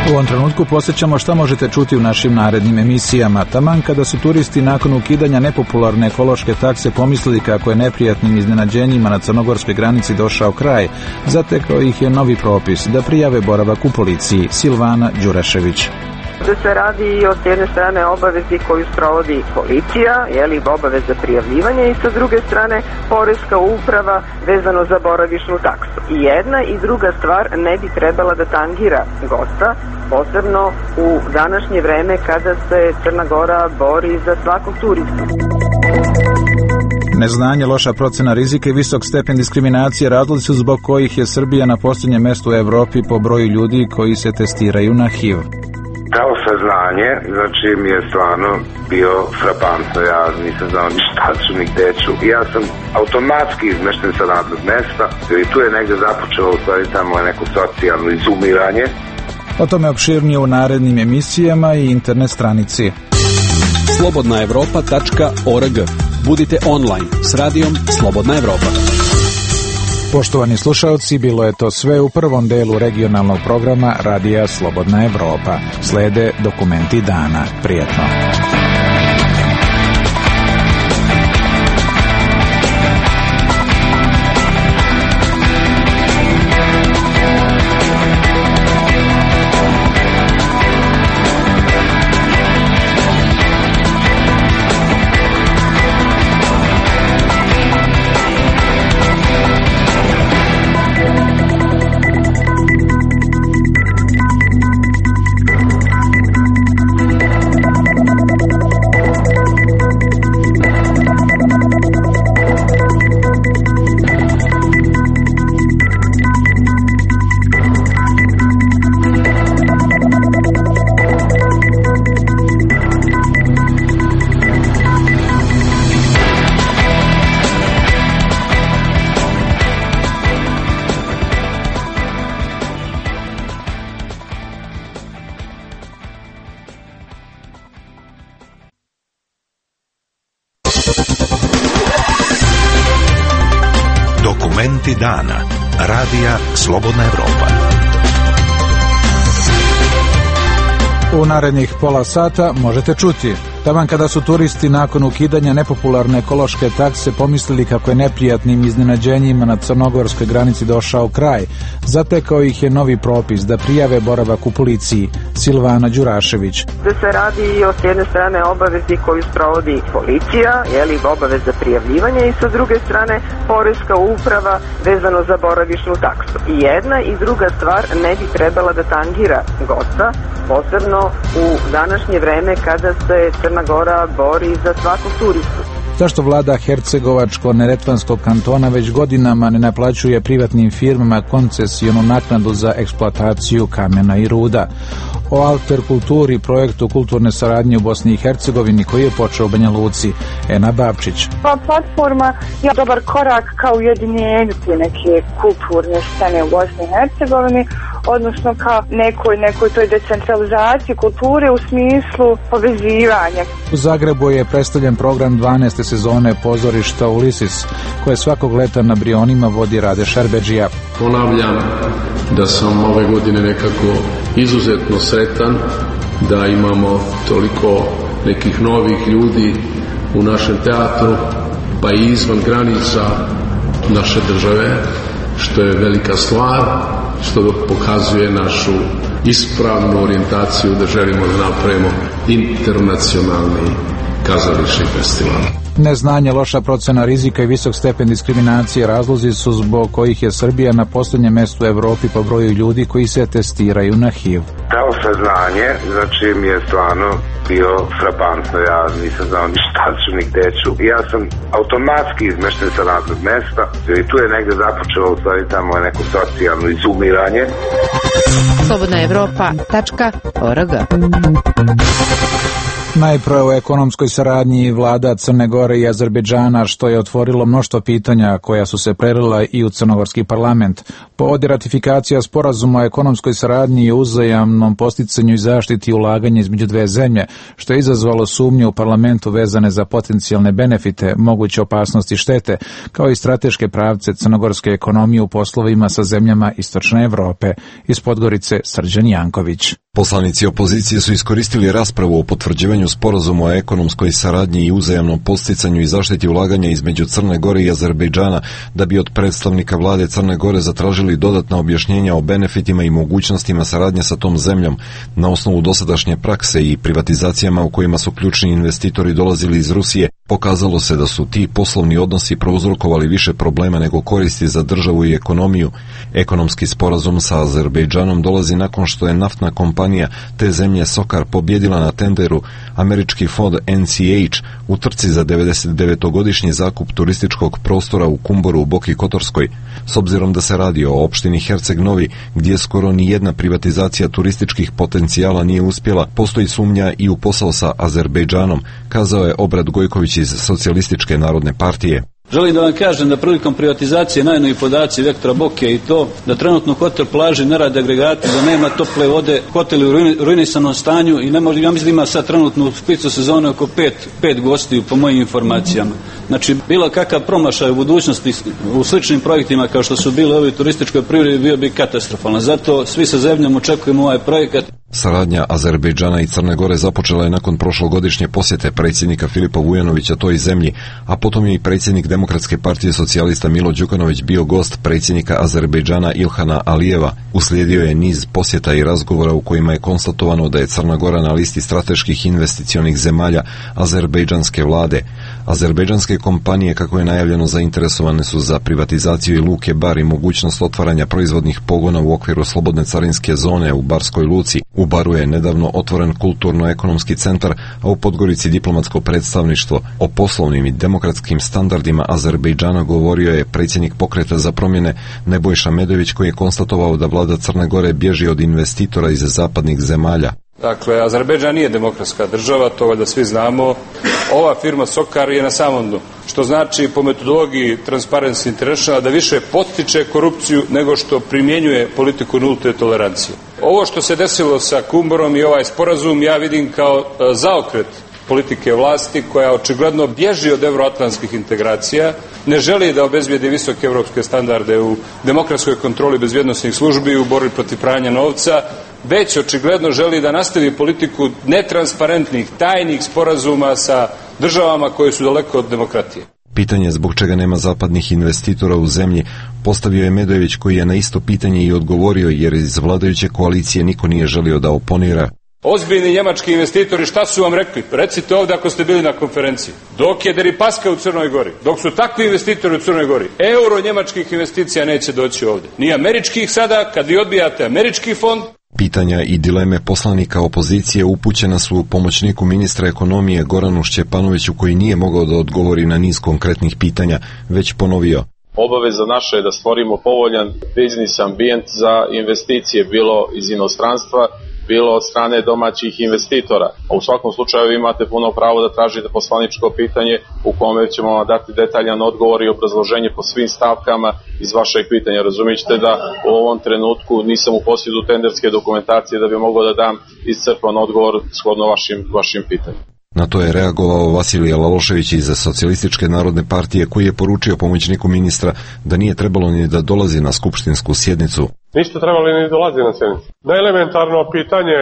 U ovom trenutku posjećamo šta možete čuti u našim narednim emisijama. Taman kada su turisti nakon ukidanja nepopularne ekološke takse pomislili kako je neprijatnim iznenađenjima na crnogorskoj granici došao kraj, zatekao ih je novi propis da prijave boravak u policiji. Silvana Đurašević. Da se radi o s jedne strane obavezi koju sprovodi policija, obaveza prijavljivanja, i sa druge strane poreska uprava vezano za boravišnu taksu. I jedna i druga stvar ne bi trebala da tangira gosta, posebno u današnje vreme kada se Crna Gora bori za svakog turista. Neznanje, loša procena rizika i visok stepen diskriminacije razlozi su zbog kojih je Srbija na posljednjem mjestu u Evropi po broju ljudi koji se testiraju na HIV. Kao saznanje, znači mi je stvarno bio frapantno, ja nisam znao ni šta ću, ni gde ću. Ja sam automatski izmešten sa radnog mesta, i tu je negde započelo u stvari tamo neko socijalno izumiranje. O tome opširnije u narednim emisijama i internet stranici. slobodnaevropa.org. Budite online s radijom Slobodna Evropa. Poštovani slušalci, bilo je to sve u prvom delu regionalnog programa Radija Slobodna Evropa. Slede dokumenti dana. Prijetno. Dokumenti dana. Radija Slobodna Evropa. U narednih pola sata možete čuti. Taman kada su turisti nakon ukidanja nepopularne ekološke takse pomislili kako je neprijatnim iznenađenjima na crnogorskoj granici došao kraj, zatekao ih je novi propis da prijave boravak u policiji. Silvana Đurašević. Da se radi o s jedne strane obavezi koju sprovodi policija, obaveza prijavljivanja, i sa druge strane poreska uprava vezano za boravišnu taksu. I jedna i druga stvar ne bi trebala da tangira gosta, posebno u današnje vreme kada se Crna Gora bori za svakog turistu. Zašto vlada Hercegovačko-Neretvanskog kantona već godinama ne naplaćuje privatnim firmama koncesionu naknadu za eksploataciju kamena i ruda? O Alter kulturi, projektu kulturne saradnje u Bosni i Hercegovini koji je počeo u Banja Luci. Ena Bavčić. Platforma je dobar korak kao ujedinjenju te neke kulturne scene u Bosni i Hercegovini, odnosno kao nekoj toj decentralizaciji kulture u smislu povezivanja. U Zagrebu je predstavljen program 12. sezone pozorišta Ulisis, koje svakog leta na Brionima vodi Rade Šerbedžija. Ponavljam da sam ove godine nekako izuzetno sretan da imamo toliko nekih novih ljudi u našem teatru, pa i izvan granica naše države, što je velika stvar, što pokazuje našu ispravnu orijentaciju da želimo da napravimo internacionalni kazališni festival. Neznanje, loša procena rizika i visok stepen diskriminacije razlozi su zbog kojih je Srbija na posljednjem mjestu u Evropi po broju ljudi koji se testiraju na HIV. To saznanje, znači mi je stvarno bio frapantno, ja nisam znao ni šta ću, ni gde ću. Ja sam automatski izmešten sa radnog mesta i tu je negde započelo u stvari tamo neko socijalno izumiranje. Slobodna Evropa.org. Najprve o ekonomskoj saradnji vlada Crne Gore i Azerbejdžana, što je otvorilo mnoštvo pitanja koja su se prelila i u crnogorski parlament. Povod je ratifikacija sporazuma o ekonomskoj saradnji i uzajamnom posticanju i zaštiti ulaganja između dve zemlje, što je izazvalo sumnje u parlamentu vezane za potencijalne benefite, moguće opasnosti i štete, kao i strateške pravce crnogorske ekonomije u poslovima sa zemljama Istočne Evrope. Iz Podgorice Srđan Janković. Poslanici opozicije su iskoristili raspravu o potvrđivanju sporazuma o ekonomskoj saradnji i uzajamnom podsticanju i zaštiti ulaganja između Crne Gore i Azerbejdžana da bi od predstavnika vlade Crne Gore zatražili dodatna objašnjenja o benefitima i mogućnostima saradnje sa tom zemljom na osnovu dosadašnje prakse i privatizacijama u kojima su ključni investitori dolazili iz Rusije. Pokazalo se da su ti poslovni odnosi prouzrokovali više problema nego koristi za državu i ekonomiju. Ekonomski sporazum sa Azerbejdžanom dolazi nakon što je naftna kompanija te zemlje Sokar pobjedila na tenderu američki fond NCH u trci za 99-godišnji zakup turističkog prostora u Kumboru u Boki Kotorskoj. S obzirom da se radi o opštini Herceg Novi, gdje skoro ni jedna privatizacija turističkih potencijala nije uspjela, postoji sumnja i u posao sa Azerbejdžanom, kazao je Obrad Gojković iz Socijalističke narodne partije. Želim da vam kažem da prilikom privatizacije najnoviji podaci Vektora Boke i to da trenutno hotel plaži ne rade agregati, da nema tople vode, hotel u ruinisanom stanju i ne može, ja mislim da ima sad trenutno u špicu sezone oko pet gostiju po mojim informacijama. Znači, bilo kakav promašaj u budućnosti u sličnim projektima kao što su bili ovi turističkoj privredi bio bi katastrofalan. Zato svi sa zemljom očekujemo ovaj projekat. Saradnja Azerbejdžana i Crne Gore započela je nakon prošlogodišnje posjete predsjednika Filipa Vujanovića toj zemlji, a potom je i predsjednik Demokratske partije socijalista Milo Đukanović bio gost predsjednika Azerbejdžana Ilhana Alijeva. Uslijedio je niz posjeta i razgovora u kojima je konstatovano da je Crna Gora na listi strateških investicionih zemalja azerbejdžanske vlade. Azerbejdžanske kompanije, kako je najavljeno, zainteresovane su za privatizaciju i luke Bar i mogućnost otvaranja proizvodnih pogona u okviru slobodne carinske zone u Barskoj luci. U Baru je nedavno otvoren kulturno-ekonomski centar, a u Podgorici diplomatsko predstavništvo. O poslovnim i demokratskim standardima Azerbejdžana govorio je predsjednik Pokreta za promjene Nebojša Medović, koji je konstatovao da vlada Crne Gore bježi od investitora iz zapadnih zemalja. Dakle, Azerbejdžan nije demokratska država, to valjda svi znamo. Ova firma Sokar je na samom dnu, što znači po metodologiji Transparency International da više potiče korupciju nego što primjenjuje politiku nulte tolerancije. Ovo što se desilo sa Kumborom i ovaj sporazum ja vidim kao zaokret politike vlasti koja očigledno bježi od evroatlantskih integracija, ne želi da obezbijedi visoke evropske standarde u demokratskoj kontroli bezbjednosnih službi u borbi protiv pranja novca, već očigledno želi da nastavi politiku netransparentnih, tajnih sporazuma sa državama koje su daleko od demokratije. Pitanje zbog čega nema zapadnih investitora u zemlji postavio je Medojević, koji je na isto pitanje i odgovorio, jer iz vladajuće koalicije niko nije želio da oponira. Ozbiljni njemački investitori šta su vam rekli? Recite ovdje ako ste bili na konferenciji. Dok je Deripaska u Crnoj Gori, dok su takvi investitori u Crnoj Gori, euro njemačkih investicija neće doći ovdje. Ni američkih sada, kad vi odbijate američki fond. Pitanja i dileme poslanika opozicije upućena su pomoćniku ministra ekonomije Goranu Šćepanoviću, koji nije mogao da odgovori na niz konkretnih pitanja, već ponovio. Obaveza naša je da stvorimo povoljan biznis ambijent za investicije, bilo iz inostranstva, bilo od strane domaćih investitora. A u svakom slučaju imate puno pravo da tražite poslaničko pitanje u kome ćemo vam dati detaljan odgovor i obrazloženje po svim stavkama iz vašeg pitanja. Razumijete da u ovom trenutku nisam u posjedu tenderske dokumentacije da bi mogao da dam iscrpan odgovor shodno vašim pitanjem. Na to je reagovao Vasilije Lalošević iz Socijalističke narodne partije, koji je poručio pomoćniku ministra da nije trebalo ni da dolazi na skupštinsku sjednicu. Niste trebali ni dolazi na sjednicu. Najelementarno pitanje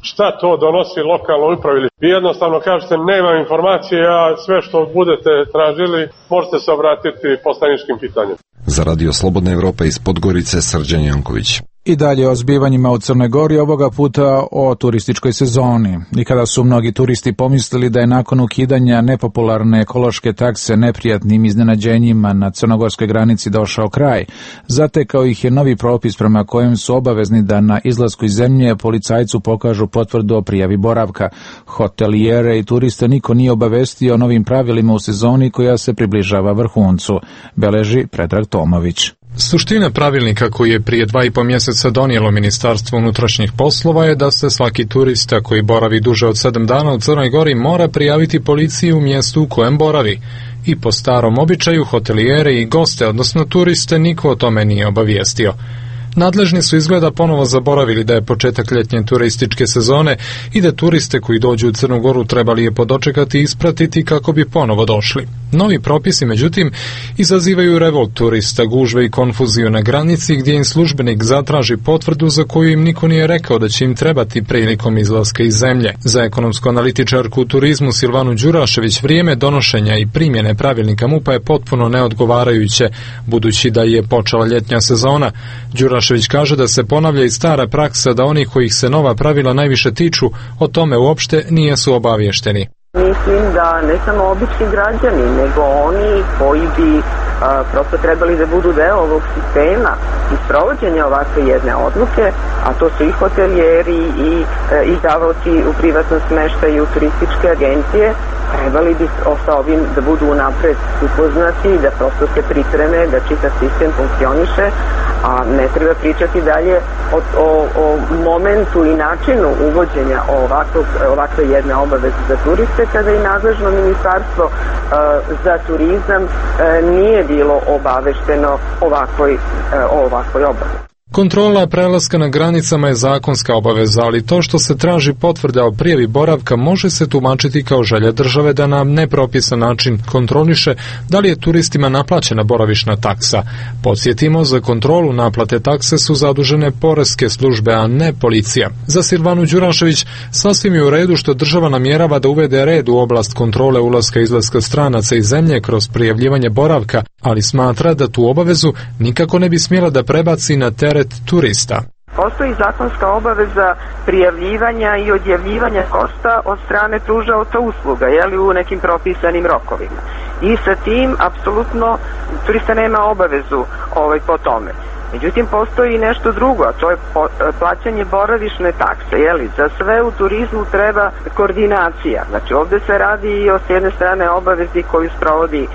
šta to donosi lokalnoj upravi. Vi jednostavno kažete nemam informacije, a sve što budete tražili možete se obratiti poslaničkim pitanjem. Za Radio Slobodna Evropa iz Podgorice, Srđan Janković. I dalje o zbivanjima u Crnoj Gori, ovoga puta o turističkoj sezoni. I kada su mnogi turisti pomislili da je nakon ukidanja nepopularne ekološke takse neprijatnim iznenađenjima na crnogorskoj granici došao kraj, zatekao ih je novi propis prema kojem su obavezni da na izlasku iz zemlje policajcu pokažu potvrdu o prijavi boravka. Hotelijere i turiste niko nije obavestio o novim pravilima u sezoni koja se približava vrhuncu, beleži Predrag Tomović. Suština pravilnika koji je prije 2,5 mjeseca donijelo Ministarstvo unutrašnjih poslova je da se svaki turista koji boravi duže od 7 dana u Crnoj Gori mora prijaviti policiji u mjestu u kojem boravi. I po starom običaju hotelijere i goste, odnosno turiste, niko o tome nije obavijestio. Nadležni su izgleda ponovo zaboravili da je početak ljetnje turističke sezone i da turiste koji dođu u Crnu Goru trebali je podočekati i ispratiti kako bi ponovo došli. Novi propisi, međutim, izazivaju revolt turista, gužve i konfuziju na granici gdje im službenik zatraži potvrdu za koju im niko nije rekao da će im trebati prilikom izlaska iz zemlje. Za ekonomsku analitičarku u turizmu Silvanu Đurašević vrijeme donošenja i primjene pravilnika MUP-a je potpuno neodgovarajuće, budući da je počela ljetnja sezona. Đurašević kaže da se ponavlja i stara praksa da oni kojih se nova pravila najviše tiču o tome uopšte nisu obavješteni. Mislim da ne samo obični građani, nego oni koji bi prosto trebali da budu deo ovog sistema i sprovođenja ovakve jedne odluke, a to su i hotelijeri i izdavaoci u privatnom smeštaju, turističke agencije, trebali bi sa ovim da budu unapred upoznati, da prosto se pripreme, da čitav sistem funkcioniše, a ne treba pričati dalje o momentu i načinu uvođenja ovakve jedne obaveze za turiste, kada i nadležno ministarstvo za turizam nije bilo obavešteno o ovakvoj obavezi. Kontrola prelaska na granicama je zakonska obaveza, ali to što se traži potvrda o prijavi boravka može se tumačiti kao želja države da na nepropisan način kontroliše da li je turistima naplaćena boravišna taksa. Podsjetimo, za kontrolu naplate takse su zadužene poreske službe, a ne policija. Za Silvanu Đurašević sasvim je u redu što država namjerava da uvede red u oblast kontrole ulaska i izlaska stranaca iz zemlje kroz prijavljivanje boravka, ali smatra da tu obavezu nikako ne bi smjela da prebaci na teret turista. Postoji zakonska obaveza prijavljivanja i odjavljivanja košta od strane pružaoca usluga, u nekim propisanim rokovima. I sa tim, apsolutno, turista nema obavezu po tome. Međutim, postoji nešto drugo, a to je plaćanje boravišne takse. Za sve u turizmu treba koordinacija. Znači, ovdje se radi i s jedne strane obavezi koju sprovodi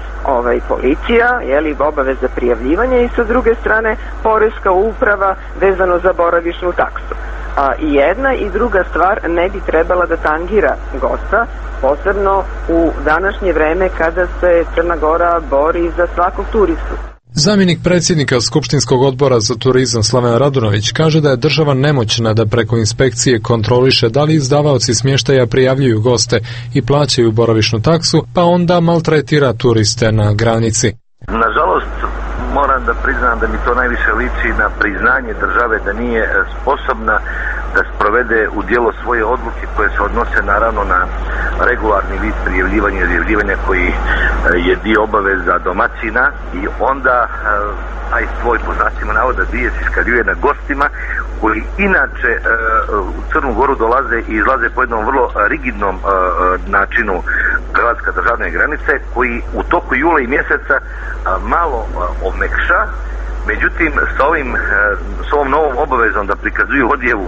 policija, obaveza prijavljivanja, i sa druge strane poreska uprava vezano za boravišnu taksu. I jedna i druga stvar ne bi trebala da tangira gosta, posebno u današnje vreme kada se Crna Gora bori za svakog turistu. Zamjenik predsjednika Skupštinskog odbora za turizam Slaven Radunović kaže da je država nemoćna da preko inspekcije kontroliše da li izdavaoci smještaja prijavljuju goste i plaćaju boravišnu taksu, pa onda maltretira turiste na granici. Nažalost, moram da priznam da mi to najviše liči na priznanje države da nije sposobna da sprovede u djelo svoje odluke koje se odnose naravno na regularni vid prijavljivanja i izjavljivanja koji je dio obaveza domaćina i onda taj svoj po znacima navoda bijes iskaljuje na gostima koji inače u Crnu Goru dolaze i izlaze po jednom vrlo rigidnom načinu prelaska državne granice koji u toku jula i mjeseca malo omekša. Međutim, s ovom novom obavezom da prikazuju odjevu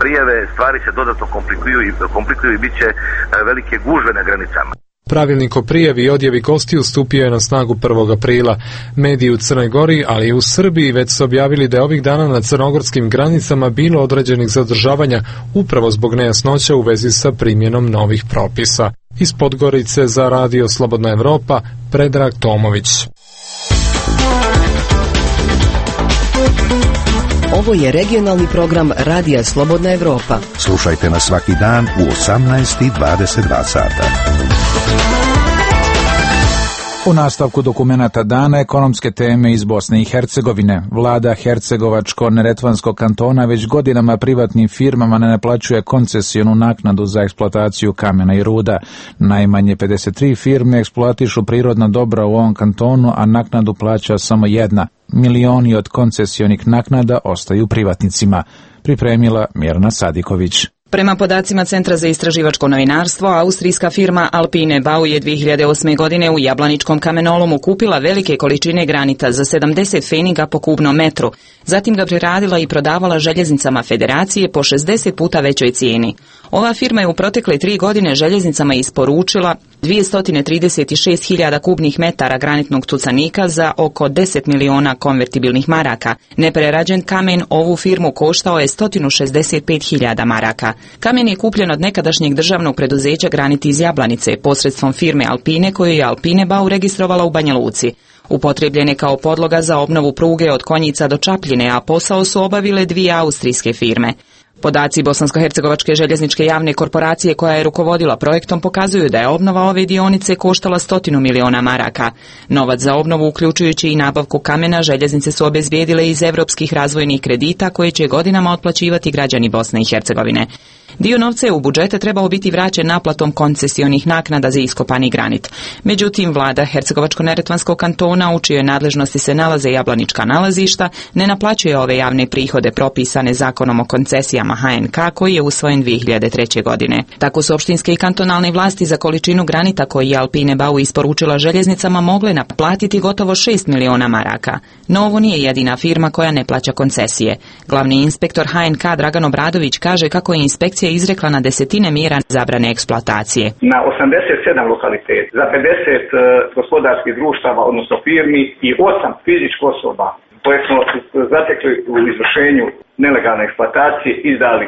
prijave, stvari se dodatno komplikuju i bit će velike gužve na granicama. Pravilnik o prijavi i odjevi gostiju stupio je na snagu 1. aprila. Mediji u Crnoj Gori, ali i u Srbiji već su objavili da je ovih dana na crnogorskim granicama bilo određenih zadržavanja upravo zbog nejasnoća u vezi sa primjenom novih propisa. Iz Podgorice za Radio Slobodna Evropa, Predrag Tomović. Ovo je regionalni program Radija Slobodna Evropa. Slušajte nas svaki dan u 18:22 sata. U nastavku dokumenata dana ekonomske teme iz Bosne i Hercegovine. Vlada Hercegovačko-Neretvanskog kantona već godinama privatnim firmama ne naplaćuje koncesionu naknadu za eksploataciju kamena i ruda. Najmanje 53 firme eksploatišu prirodna dobra u ovom kantonu, a naknadu plaća samo jedna. Milioni od koncesionih naknada ostaju privatnicima. Pripremila Mirna Sadiković. Prema podacima Centra za istraživačko novinarstvo, austrijska firma Alpine Bau je 2008. godine u Jablaničkom kamenolomu kupila velike količine granita za 70 pfeniga po kubnom metru. Zatim ga preradila i prodavala željeznicama Federacije po 60 puta većoj cijeni. Ova firma je u protekle 3 godine željeznicama isporučila 236.000 kubnih metara granitnog tucanika za oko 10 miliona konvertibilnih maraka. Neprerađen kamen ovu firmu koštao je 165.000 maraka. Kamen je kupljen od nekadašnjeg državnog preduzeća Granit iz Jablanice posredstvom firme Alpine koju je Alpine Bau registrovala u Banja Luci. Upotrebljen je kao podloga za obnovu pruge od Konjica do Čapljine, a posao su obavile 2 austrijske firme. Podaci Bosansko-hercegovačke željezničke javne korporacije koja je rukovodila projektom pokazuju da je obnova ove dionice koštala 100 miliona maraka. Novac za obnovu, uključujući i nabavku kamena, željeznice su obezbijedile iz evropskih razvojnih kredita koje će godinama otplaćivati građani Bosne i Hercegovine. Dio novca je u budžete trebao biti vraćen naplatom koncesionih naknada za iskopani granit. Međutim, vlada Hercegovačko-Neretvanskog kantona, u čijoj nadležnosti se nalaze jablanička nalazišta, ne naplaćuje ove javne prihode propisane zakonom o koncesijama HNK koji je usvojen 2003. godine. Tako su opštinske i kantonalne vlasti za količinu granita koji je Alpine Bau isporučila željeznicama mogle naplatiti gotovo 6 miliona maraka. No ovo nije jedina firma koja ne plaća koncesije. Glavni inspektor HNK Dragan Obradović kaže kako je inspekcija izrekla na desetine mjera zabrane eksploatacije. Na 87 lokaliteta, za 50 gospodarskih društava, odnosno firmi i 8 fizičkih osoba koje smo zatekli u izvršenju nelegalne eksploatacije izdali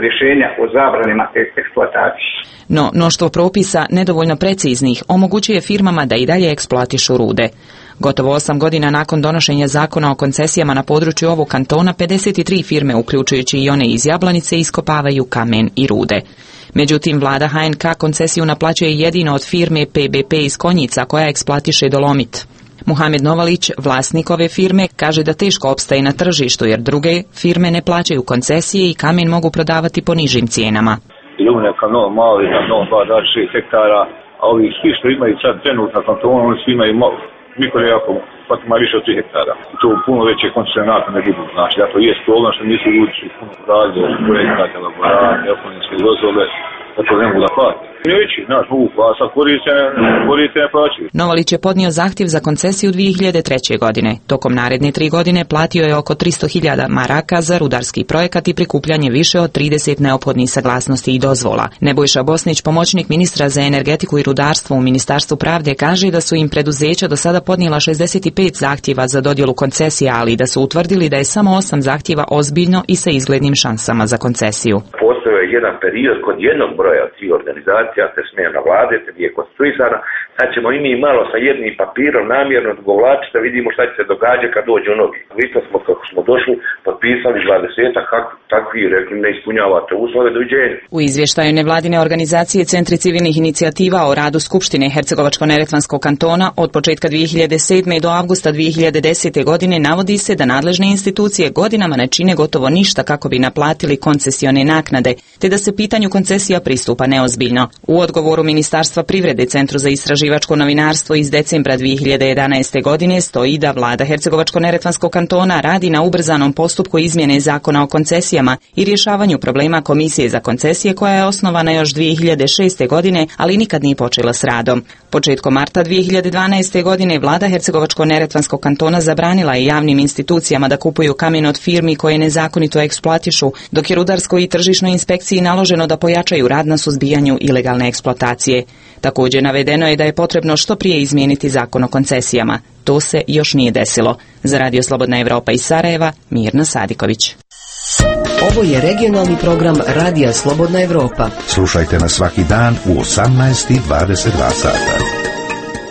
rješenja o zabranima eksploatacije. No, mnoštvo propisa, nedovoljno preciznih, omogućuje firmama da i dalje eksploatišu rude. Gotovo 8 godina nakon donošenja zakona o koncesijama na području ovog kantona, 53 firme, uključujući i one iz Jablanice, iskopavaju kamen i rude. Međutim, vlada HNK koncesiju naplaćuje jedino od firme PBP iz Konjica koja eksploatiše dolomit. Muhamed Novalić, vlasnik ove firme, kaže da teško opstaje na tržištu jer druge firme ne plaćaju koncesije i kamen mogu prodavati po nižim cijenama. Ilumina kanon mali, kanon 2,6 hektara, a ovi svi što imaju sad trenutno na kantonu, oni svi imaju mikroreakom, pa ima više od 3 hektara. To puno veće koncesionate ne budu. Znači, da to je problem što nisu ljudi puno radili, projekata, elaborate, ekonomske dozvole, da to ne mogu da plati. Neći, znaš, mogu plasa, koriste ne plaćaju. Novalić je podnio zahtjev za koncesiju 2003. godine. Tokom naredne 3 godine platio je oko 300.000 maraka za rudarski projekat i prikupljanje više od 30 neophodnih saglasnosti i dozvola. Nebojša Bosnić, pomoćnik ministra za energetiku i rudarstvo u Ministarstvu pravde, kaže da su im preduzeća do sada podnijela 65 zahtjeva za dodjelu koncesija, ali da su utvrdili da je samo 8 zahtjeva ozbiljno i sa izglednim šansama za koncesiju. Postoje jedan period kod jednog broja od tih organizacija se smjena vlade, se je konstituisana, sad ćemo i mi malo sa jednim papirom namjerno dogovlačiti da vidimo šta će se događati kad dođu novi. Vi to smo, kako smo došli, potpisali 20-ak, takvi rekli ne ispunjavate uslove, doviđenja. U izvještaju nevladine organizacije Centri civilnih inicijativa o radu Skupštine Hercegovačko-neretvanskog kantona od početka 2007. do avgusta 2010. godine navodi se da nadležne institucije godinama ne čine gotovo ništa kako bi naplatili koncesione naknade, te da se pitanju koncesija pristupa neozbiljno. U odgovoru Ministarstva privrede Centru za istraživačko novinarstvo iz decembra 2011. godine stoji da vlada Hercegovačko-neretvanskog kantona radi na ubrzanom postupku izmjene zakona o koncesijama i rješavanju problema Komisije za koncesije koja je osnovana još 2006. godine, ali nikad nije počela s radom. Početkom marta 2012. godine vlada Hercegovačko-neretvanskog kantona zabranila je javnim institucijama da kupuju kamen od firmi koje nezakonito eksploatišu, dok je rudarskoj i tržišnoj inspekciji naloženo da pojačaju rad na suzbijanju ilegalne eksploatacije. Također navedeno je da je potrebno što prije izmijeniti zakon o koncesijama. To se još nije desilo. Za Radio Slobodna Evropa iz Sarajeva, Mirna Sadiković. Ovo je regionalni program Radija Slobodna Evropa. Slušajte nas svaki dan u 18:22 sata.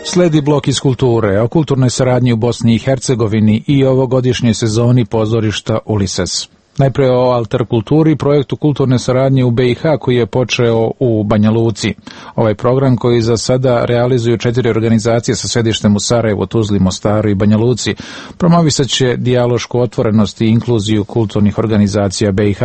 Sledi blok iz kulture o kulturnoj saradnji u Bosni i Hercegovini i ovogodišnjoj sezoni pozorišta Ulises. Najprije o Alter kulturi, projektu kulturne saradnje u BiH koji je počeo u Banja Luci. Ovaj program koji za sada realizuju 4 organizacije sa sedištem u Sarajevu, Tuzli, Mostaru i Banja Luci, promovisat će dijalošku otvorenost i inkluziju kulturnih organizacija BiH.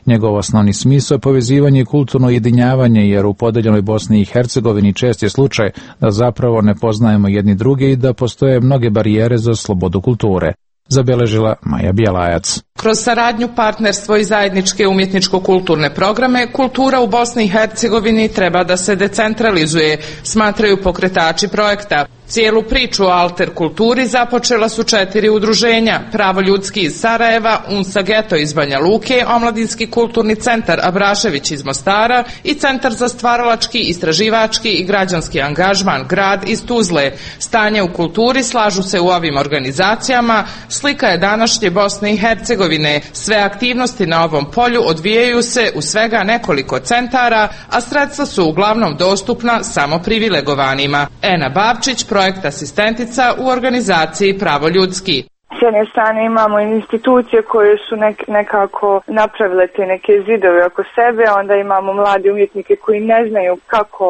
Njegov osnovni smisao je povezivanje i kulturno ujedinjavanje, jer u podeljenoj Bosni i Hercegovini čest je slučaj da zapravo ne poznajemo jedni druge i da postoje mnoge barijere za slobodu kulture. Zabeležila Maja Bjelajac. Kroz saradnju, partnerstvo i zajedničke umjetničko-kulturne programe, kultura u Bosni i Hercegovini treba da se decentralizuje, smatraju pokretači projekta. Cijelu priču o Alter kulturi započela su 4 udruženja: Pravo ljudski iz Sarajeva, Unsa Geto iz Banja Luke, Omladinski kulturni centar Abrašević iz Mostara i Centar za stvaralački, istraživački i građanski angažman Grad iz Tuzle. Stanje u kulturi, slažu se u ovim organizacijama, slika je današnje Bosne i Hercegovine. Sve aktivnosti na ovom polju odvijaju se u svega nekoliko centara, a sredstva su uglavnom dostupna samo privilegovanima. Ena Bavčić, projekt asistentica u organizaciji Pravo ljudski. S jedne strane imamo institucije koje su nekako napravile te neke zidove oko sebe, onda imamo mlade umjetnike koji ne znaju kako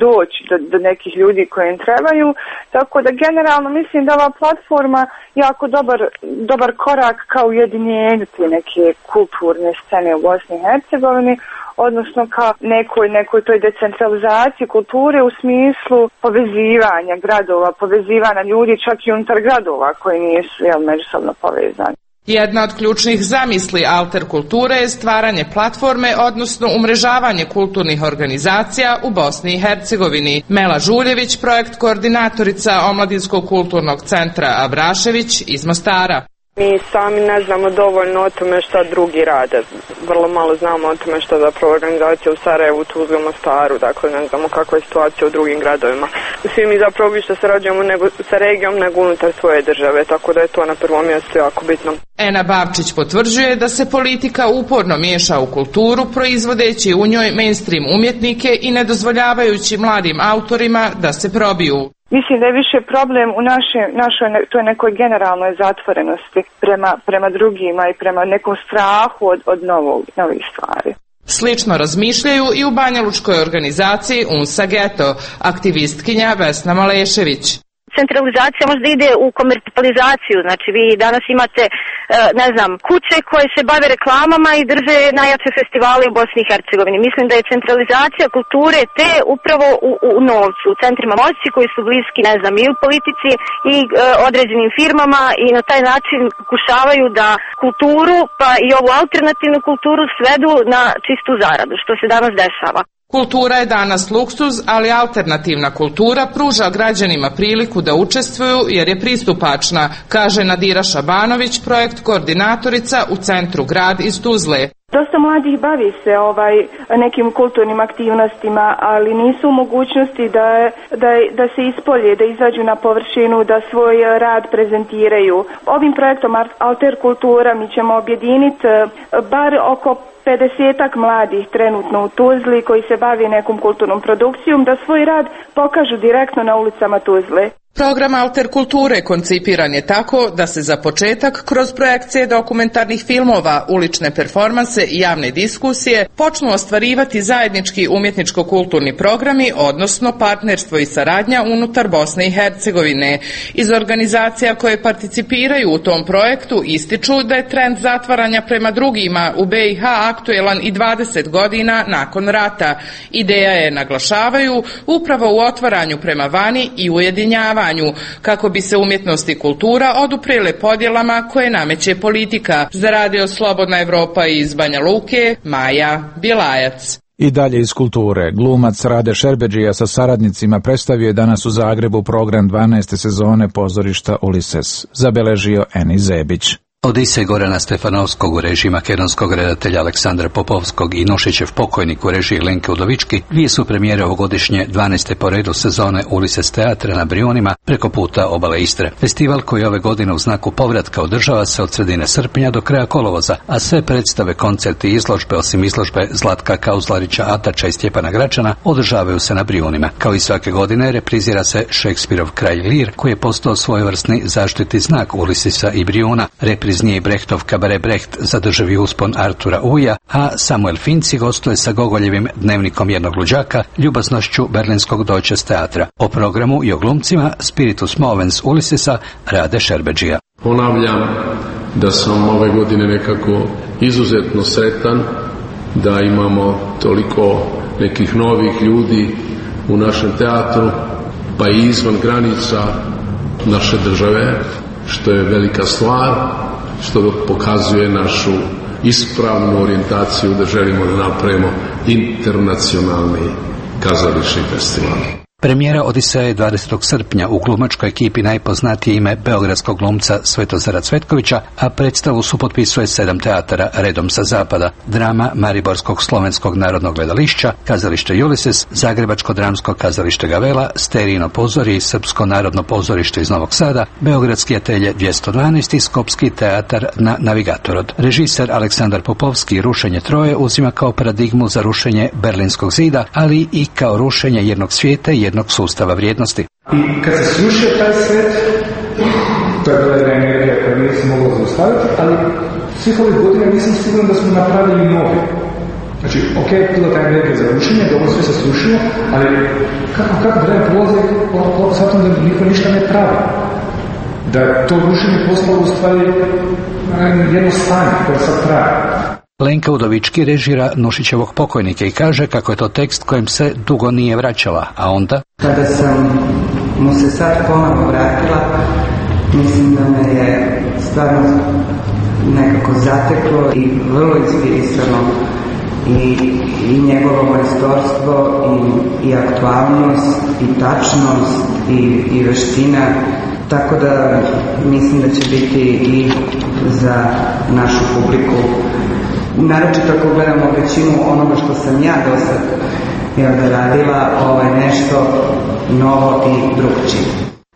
doći do nekih ljudi koji im trebaju, tako da generalno mislim da ova platforma jako dobar korak kao ujedinjenju te neke kulturne scene u Bosni i Hercegovini, odnosno ka nekoj toj decentralizaciji kulture u smislu povezivanja gradova, povezivanja ljudi čak i unutar gradova koji nisu međusobno povezani. Jedna od ključnih zamisli Alter kulture je stvaranje platforme, odnosno umrežavanje kulturnih organizacija u Bosni i Hercegovini. Mela Žuljević, projekt koordinatorica Omladinskog kulturnog centra Abrašević iz Mostara. Mi sami ne znamo dovoljno o tome šta drugi rade. Vrlo malo znamo o tome što zapravo organizacija u Sarajevu, Tuzli, Mostaru, dakle ne znamo kakva je situacija u drugim gradovima. Svi mi zapravo više sarađujemo sa regijom nego unutar svoje države, tako da je to na prvom mjestu jako bitno. Ena Bavčić potvrđuje da se politika uporno miješa u kulturu, proizvodeći u njoj mainstream umjetnike i nedozvoljavajući mladim autorima da se probiju. Mislim da je više problem u našoj toj nekoj generalnoj zatvorenosti prema drugima i prema nekom strahu od novih stvari. Slično razmišljaju i u banjalučkoj organizaciji Unsa Geto, aktivistkinja Vesna Malešević. Centralizacija možda ide u komercijalizaciju, znači vi danas imate kuće koje se bave reklamama i drže najjače festivale u Bosni i Hercegovini. Mislim da je centralizacija kulture te upravo u novcu, u centrima moći koji su bliski i u politici i određenim firmama i na taj način pokušavaju da kulturu pa i ovu alternativnu kulturu svedu na čistu zaradu, što se danas dešava. Kultura je danas luksuz, ali alternativna kultura pruža građanima priliku da učestvuju jer je pristupačna, kaže Nadira Šabanović, projekt koordinatorica u centru Grad iz Tuzle. Dosta mladih bavi se nekim kulturnim aktivnostima, ali nisu u mogućnosti da se ispolje, da izađu na površinu, da svoj rad prezentiraju. Ovim projektom Alter Kultura mi ćemo objediniti bar oko 50-ak mladih trenutno u Tuzli koji se bavi nekom kulturnom produkcijom, da svoj rad pokažu direktno na ulicama Tuzle. Program Alter Kulture koncipiran je tako da se za početak kroz projekcije dokumentarnih filmova, ulične performanse i javne diskusije počnu ostvarivati zajednički umjetničko-kulturni programi, odnosno partnerstvo i saradnja unutar Bosne i Hercegovine. Iz organizacija koje participiraju u tom projektu ističu da je trend zatvaranja prema drugima u BiH aktuelan i 20 godina nakon rata. Ideja je, naglašavaju, upravo u otvaranju prema vani i ujedinjavanju, kako bi se umjetnost i kultura oduprijele podjelama koje nameće politika. Za Radio Slobodna Evropa iz Banja Luke, Maja Bilajac. I dalje iz kulture. Glumac Rade Šerbedžija sa saradnicima predstavio je danas u Zagrebu program 12. sezone pozorišta Ulises. Zabeležio Eni Zebić. Odisej Gorana Stefanovskog u režiji makedonskog redatelja Aleksandra Popovskog i Nušićev pokojnik u režiji Lenke Udovički dvije su premijere ovogodišnje 12. po redu sezone Ulises teatra na Brijunima preko puta obale Istre. Festival koji ove godine u znaku povratka održava se od sredine srpnja do kraja kolovoza, a sve predstave, koncerti i izložbe, osim izložbe Zlatka Kauzlarića Atača i Stjepana Gračana, održavaju se na Brijunima. Kao i svake godine reprizira se Šekspirov Kralj Lir, koji je postao svojevrsni zaštitni znak Ulisisa i Brijuna. Repriznije i Brechtov Kabare Brecht zadržavi uspon Artura Uja, a Samuel Finci gostuje sa Gogoljevim Dnevnikom jednog luđaka, ljubaznošću berlinskog Deutsches teatra. O programu i o glumcima Spiritus Movens Ulisisa Rade Šerbedžija. Ponavljam da sam ove godine nekako izuzetno sretan da imamo toliko nekih novih ljudi u našem teatru, pa i izvan granica naše države, što je velika stvar, što pokazuje našu ispravnu orijentaciju da želimo da napravimo internacionalni kazališni festival. Premijera Odiseja je 20. srpnja u glumačkoj ekipi najpoznatije ime beogradskog glumca Svetozara Cvetkovića, a predstavu supotpisuje 7 teatara redom sa zapada: drama Mariborskog slovenskog narodnog gledališća, kazalište Julises, Zagrebačko dramsko kazalište Gavela, Sterijino pozorje i Srpsko narodno pozorište iz Novog Sada, Beogradski atelje 212 i Skopski teatar na Navigatorod. Režiser Aleksandar Popovski Rušenje Troje uzima kao paradigmu za rušenje Berlinskog zida, ali i kao rušenje jednog svijeta i jednog sustava vrijednosti. I kad se srušio taj svet, to je bila jedna energija koja nije se mogla zaustaviti, ali svih ovih godina nisam siguran da smo napravili novi. Znači, ok, bila ta energija za rušenje, da ovo sve se srušilo, ali kako vreme prolazi, shvatam da niko ništa ne pravi. Da to rušenje postalo u stvari jedno stanje koje sad traje. Lenka Udovički režira Nušićevog pokojnika i kaže kako je to tekst kojem se dugo nije vraćala, a onda... Kada sam mu se sad ponovno vratila, mislim da me je stvarno nekako zateklo i vrlo inspirisano i njegovo majstorstvo i aktualnost i tačnost i veština. Tako da mislim da će biti i za našu publiku, naročito ako gledamo većinu onoga što sam ja do sad radila, nešto novo i drugčije.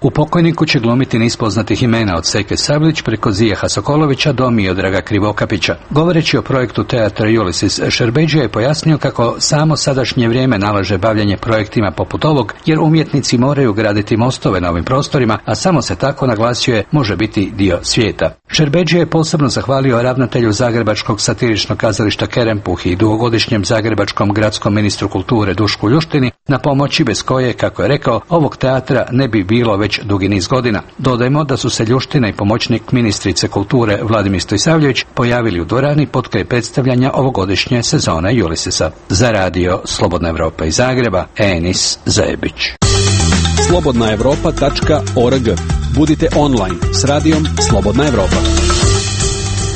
U pokojniku će glumiti niz poznatih imena od Seke Sablić preko Zijeha Sokolovića do Miodraga Krivokapića. Govoreći o projektu teatra Julisis, Šerbedžija je pojasnio kako samo sadašnje vrijeme nalaže bavljanje projektima poput ovog, jer umjetnici moraju graditi mostove na ovim prostorima, a samo se tako, naglasio je, može biti dio svijeta. Šerbedžija je posebno zahvalio ravnatelju Zagrebačkog satiričnog kazališta Kerempuh i dugogodišnjem zagrebačkom gradskom ministru kulture Dušku Ljuštini na pomoći bez koje, kako je rekao, ovog teatra ne bi bilo već dugi niz godina. Dodajmo da su se Ljuština i pomoćnik ministrice kulture Vladimir Stojsavljević pojavili u dvorani potkraj predstavljanja ovogodišnje sezone Julisisa. Za Radio Slobodna Evropa iz Zagreba, Enis Zebić. slobodnaevropa.org. Budite online s Radijom Slobodna Evropa.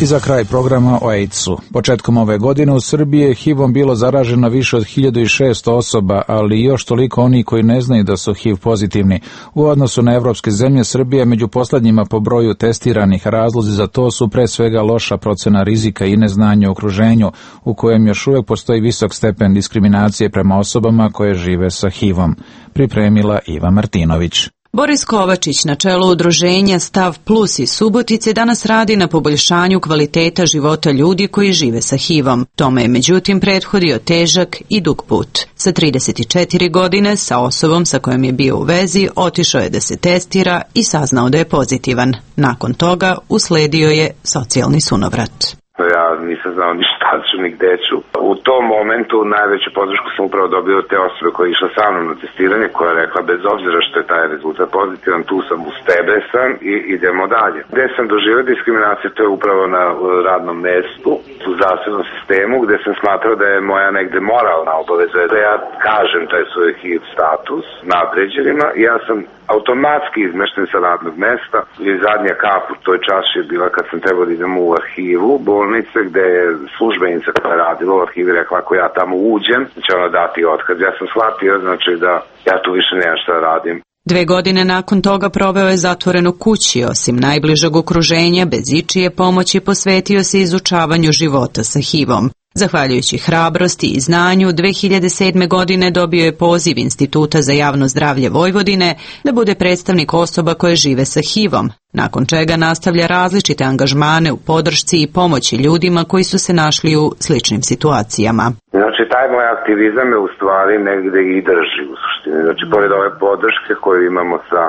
I za kraj programa o AIDS-u. Početkom ove godine u Srbiji je HIV-om bilo zaraženo više od 1600 osoba, ali još toliko oni koji ne znaju da su HIV pozitivni. U odnosu na evropske zemlje, Srbija je među poslednjima po broju testiranih. Razlozi za to su pre svega loša procena rizika i neznanje u okruženju, u kojem još uvek postoji visok stepen diskriminacije prema osobama koje žive sa HIV-om. Pripremila Iva Martinović. Boris Kovačić na čelu udruženja Stav Plus iz Subotice danas radi na poboljšanju kvaliteta života ljudi koji žive sa HIV-om. Tome je međutim prethodio težak i dug put. Sa 34 godine sa osobom sa kojom je bio u vezi otišao je da se testira i saznao da je pozitivan. Nakon toga usledio je socijalni sunovrat. Ja nisam znao ni šta ću, ni gde ću. U tom momentu najveću podršku sam upravo dobio od te osobe koja je išla sa mnom na testiranje, koja je rekla bez obzira što je taj rezultat pozitivan, tu sam, uz tebe sam i idemo dalje. Gde sam doživio diskriminaciju, to je upravo na radnom mestu, u zdravstvenom sistemu, gde sam smatrao da je moja negde moralna obaveza da ja kažem taj svoj HIV status nadređenima i ja sam automatski izmešten sa radnog mesta i zadnja kap u toj čaši je bila kad sam trebao da idem u arhivu bolnice gde je službenica koja je radila u arhivi rekla ako ja tamo uđem će ona dati otkaz. Ja sam shvatio znači da ja tu više nemam šta da radim. 2 godine nakon toga proveo je zatvoren u kući, osim najbližeg okruženja, bez ičije pomoći posvetio se izučavanju života sa HIV-om. Zahvaljujući hrabrosti i znanju, 2007. godine dobio je poziv Instituta za javno zdravlje Vojvodine da bude predstavnik osoba koje žive sa HIV-om, nakon čega nastavlja različite angažmane u podršci i pomoći ljudima koji su se našli u sličnim situacijama. Znači, taj moj aktivizam je u stvari negde i drži u suštini. Znači, pored ove podrške koju imamo sa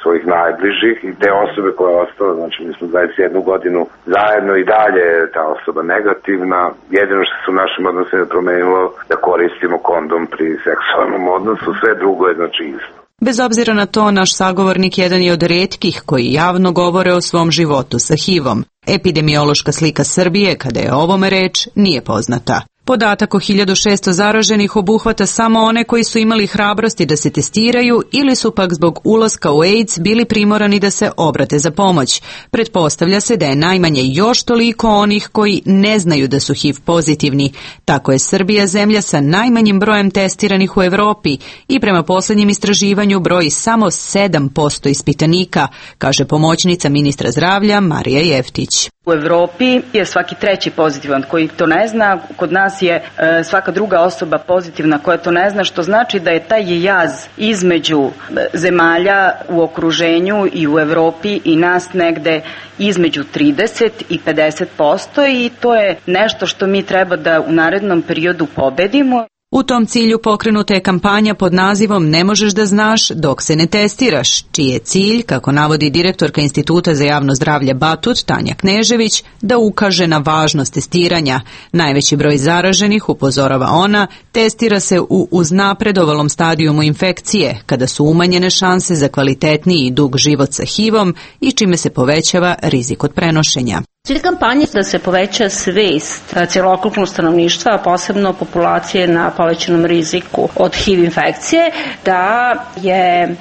svojih najbližih i te osobe koja je ostala, znači mi smo 21 godinu zajedno i dalje je ta osoba negativna. Jedino što se u našim odnosima promenilo da koristimo kondom pri seksualnom odnosu, sve drugo je znači isto. Bez obzira na to, naš sagovornik jedan je od retkih koji javno govore o svom životu sa HIV-om. Epidemiološka slika Srbije, kada je o ovome reč, nije poznata. Podatak o 1600 zaraženih obuhvata samo one koji su imali hrabrosti da se testiraju ili su pak zbog ulaska u AIDS bili primorani da se obrate za pomoć. Pretpostavlja se da je najmanje još toliko onih koji ne znaju da su HIV pozitivni. Tako je Srbija zemlja sa najmanjim brojem testiranih u Evropi i prema posljednjem istraživanju broji samo 7% ispitanika, kaže pomoćnica ministra zdravlja Marija Jeftić. U Evropi je svaki treći pozitivan koji to ne zna, kod nas je svaka druga osoba pozitivna koja to ne zna, što znači da je taj jaz između zemalja u okruženju i u Evropi i nas negde između 30 i 50% i to je nešto što mi treba da u narednom periodu pobedimo. U tom cilju pokrenuta je kampanja pod nazivom Ne možeš da znaš dok se ne testiraš, čiji je cilj, kako navodi direktorka Instituta za javno zdravlje Batut, Tanja Knežević, da ukaže na važnost testiranja. Najveći broj zaraženih, upozorava ona, testira se u uznapredovalom stadijumu infekcije, kada su umanjene šanse za kvalitetniji i dug život sa HIV-om i čime se povećava rizik od prenošenja. Cilj kampanje je da se poveća svest cjelokupnog stanovništva, a posebno populacije na povećanom riziku od HIV infekcije, da je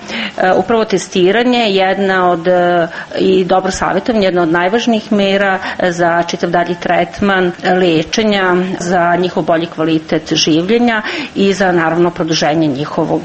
upravo testiranje jedna od i dobro savjetovanje, jedna od najvažnijih mera za čitav dalji tretman lečenja, za njihov bolji kvalitet življenja i za naravno produženje njihovog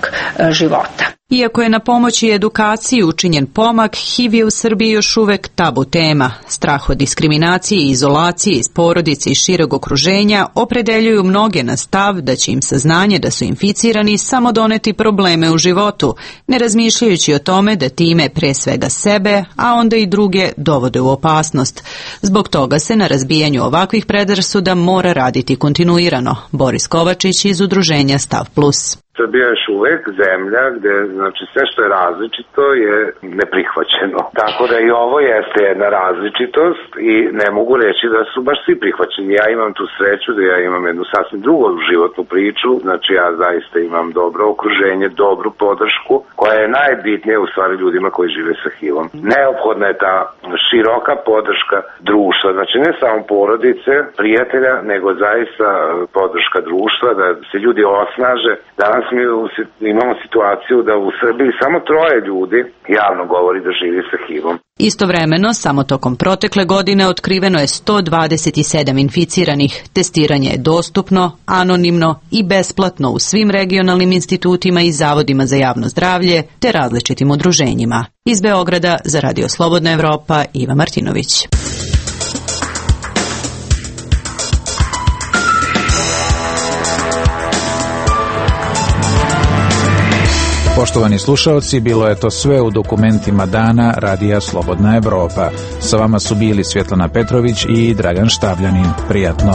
života. Iako je na pomoći i edukaciji učinjen pomak, HIV je u Srbiji još uvek tabu tema. Strah od diskriminacije i izolacije iz porodice i šireg okruženja opredeljuju mnoge na stav da će im saznanje da su inficirani samo doneti probleme u životu, ne razmišljajući o tome da time pre svega sebe, a onda i druge dovode u opasnost. Zbog toga se na razbijanju ovakvih predrasuda mora raditi kontinuirano. Boris Kovačić iz udruženja Stav Plus. Srbija je još uvek zemlja gde znači, sve što je različito je neprihvaćeno. Tako da i ovo jeste jedna različitost i ne mogu reći da su baš svi prihvaćeni. Ja imam tu sreću da ja imam jednu sasvim drugu životnu priču. Znači ja zaista imam dobro okruženje, dobru podršku koja je najbitnija u stvari ljudima koji žive sa HIV-om. Neophodna je ta široka podrška društva. Znači ne samo porodice, prijatelja, nego zaista podrška društva da se ljudi osnaže. Danas Danas mi imamo situaciju da u Srbiji samo 3 ljudi javno govori da živi sa HIV-om. Istovremeno, samo tokom protekle godine otkriveno je 127 inficiranih. Testiranje je dostupno, anonimno i besplatno u svim regionalnim institutima i zavodima za javno zdravlje te različitim udruženjima. Iz Beograda za Radio Slobodna Evropa, Iva Martinović. Poštovani slušaoci, bilo je to sve u dokumentima dana Radija Slobodna Evropa. Sa vama su bili Svjetlana Petrović i Dragan Štavljanin. Prijatno.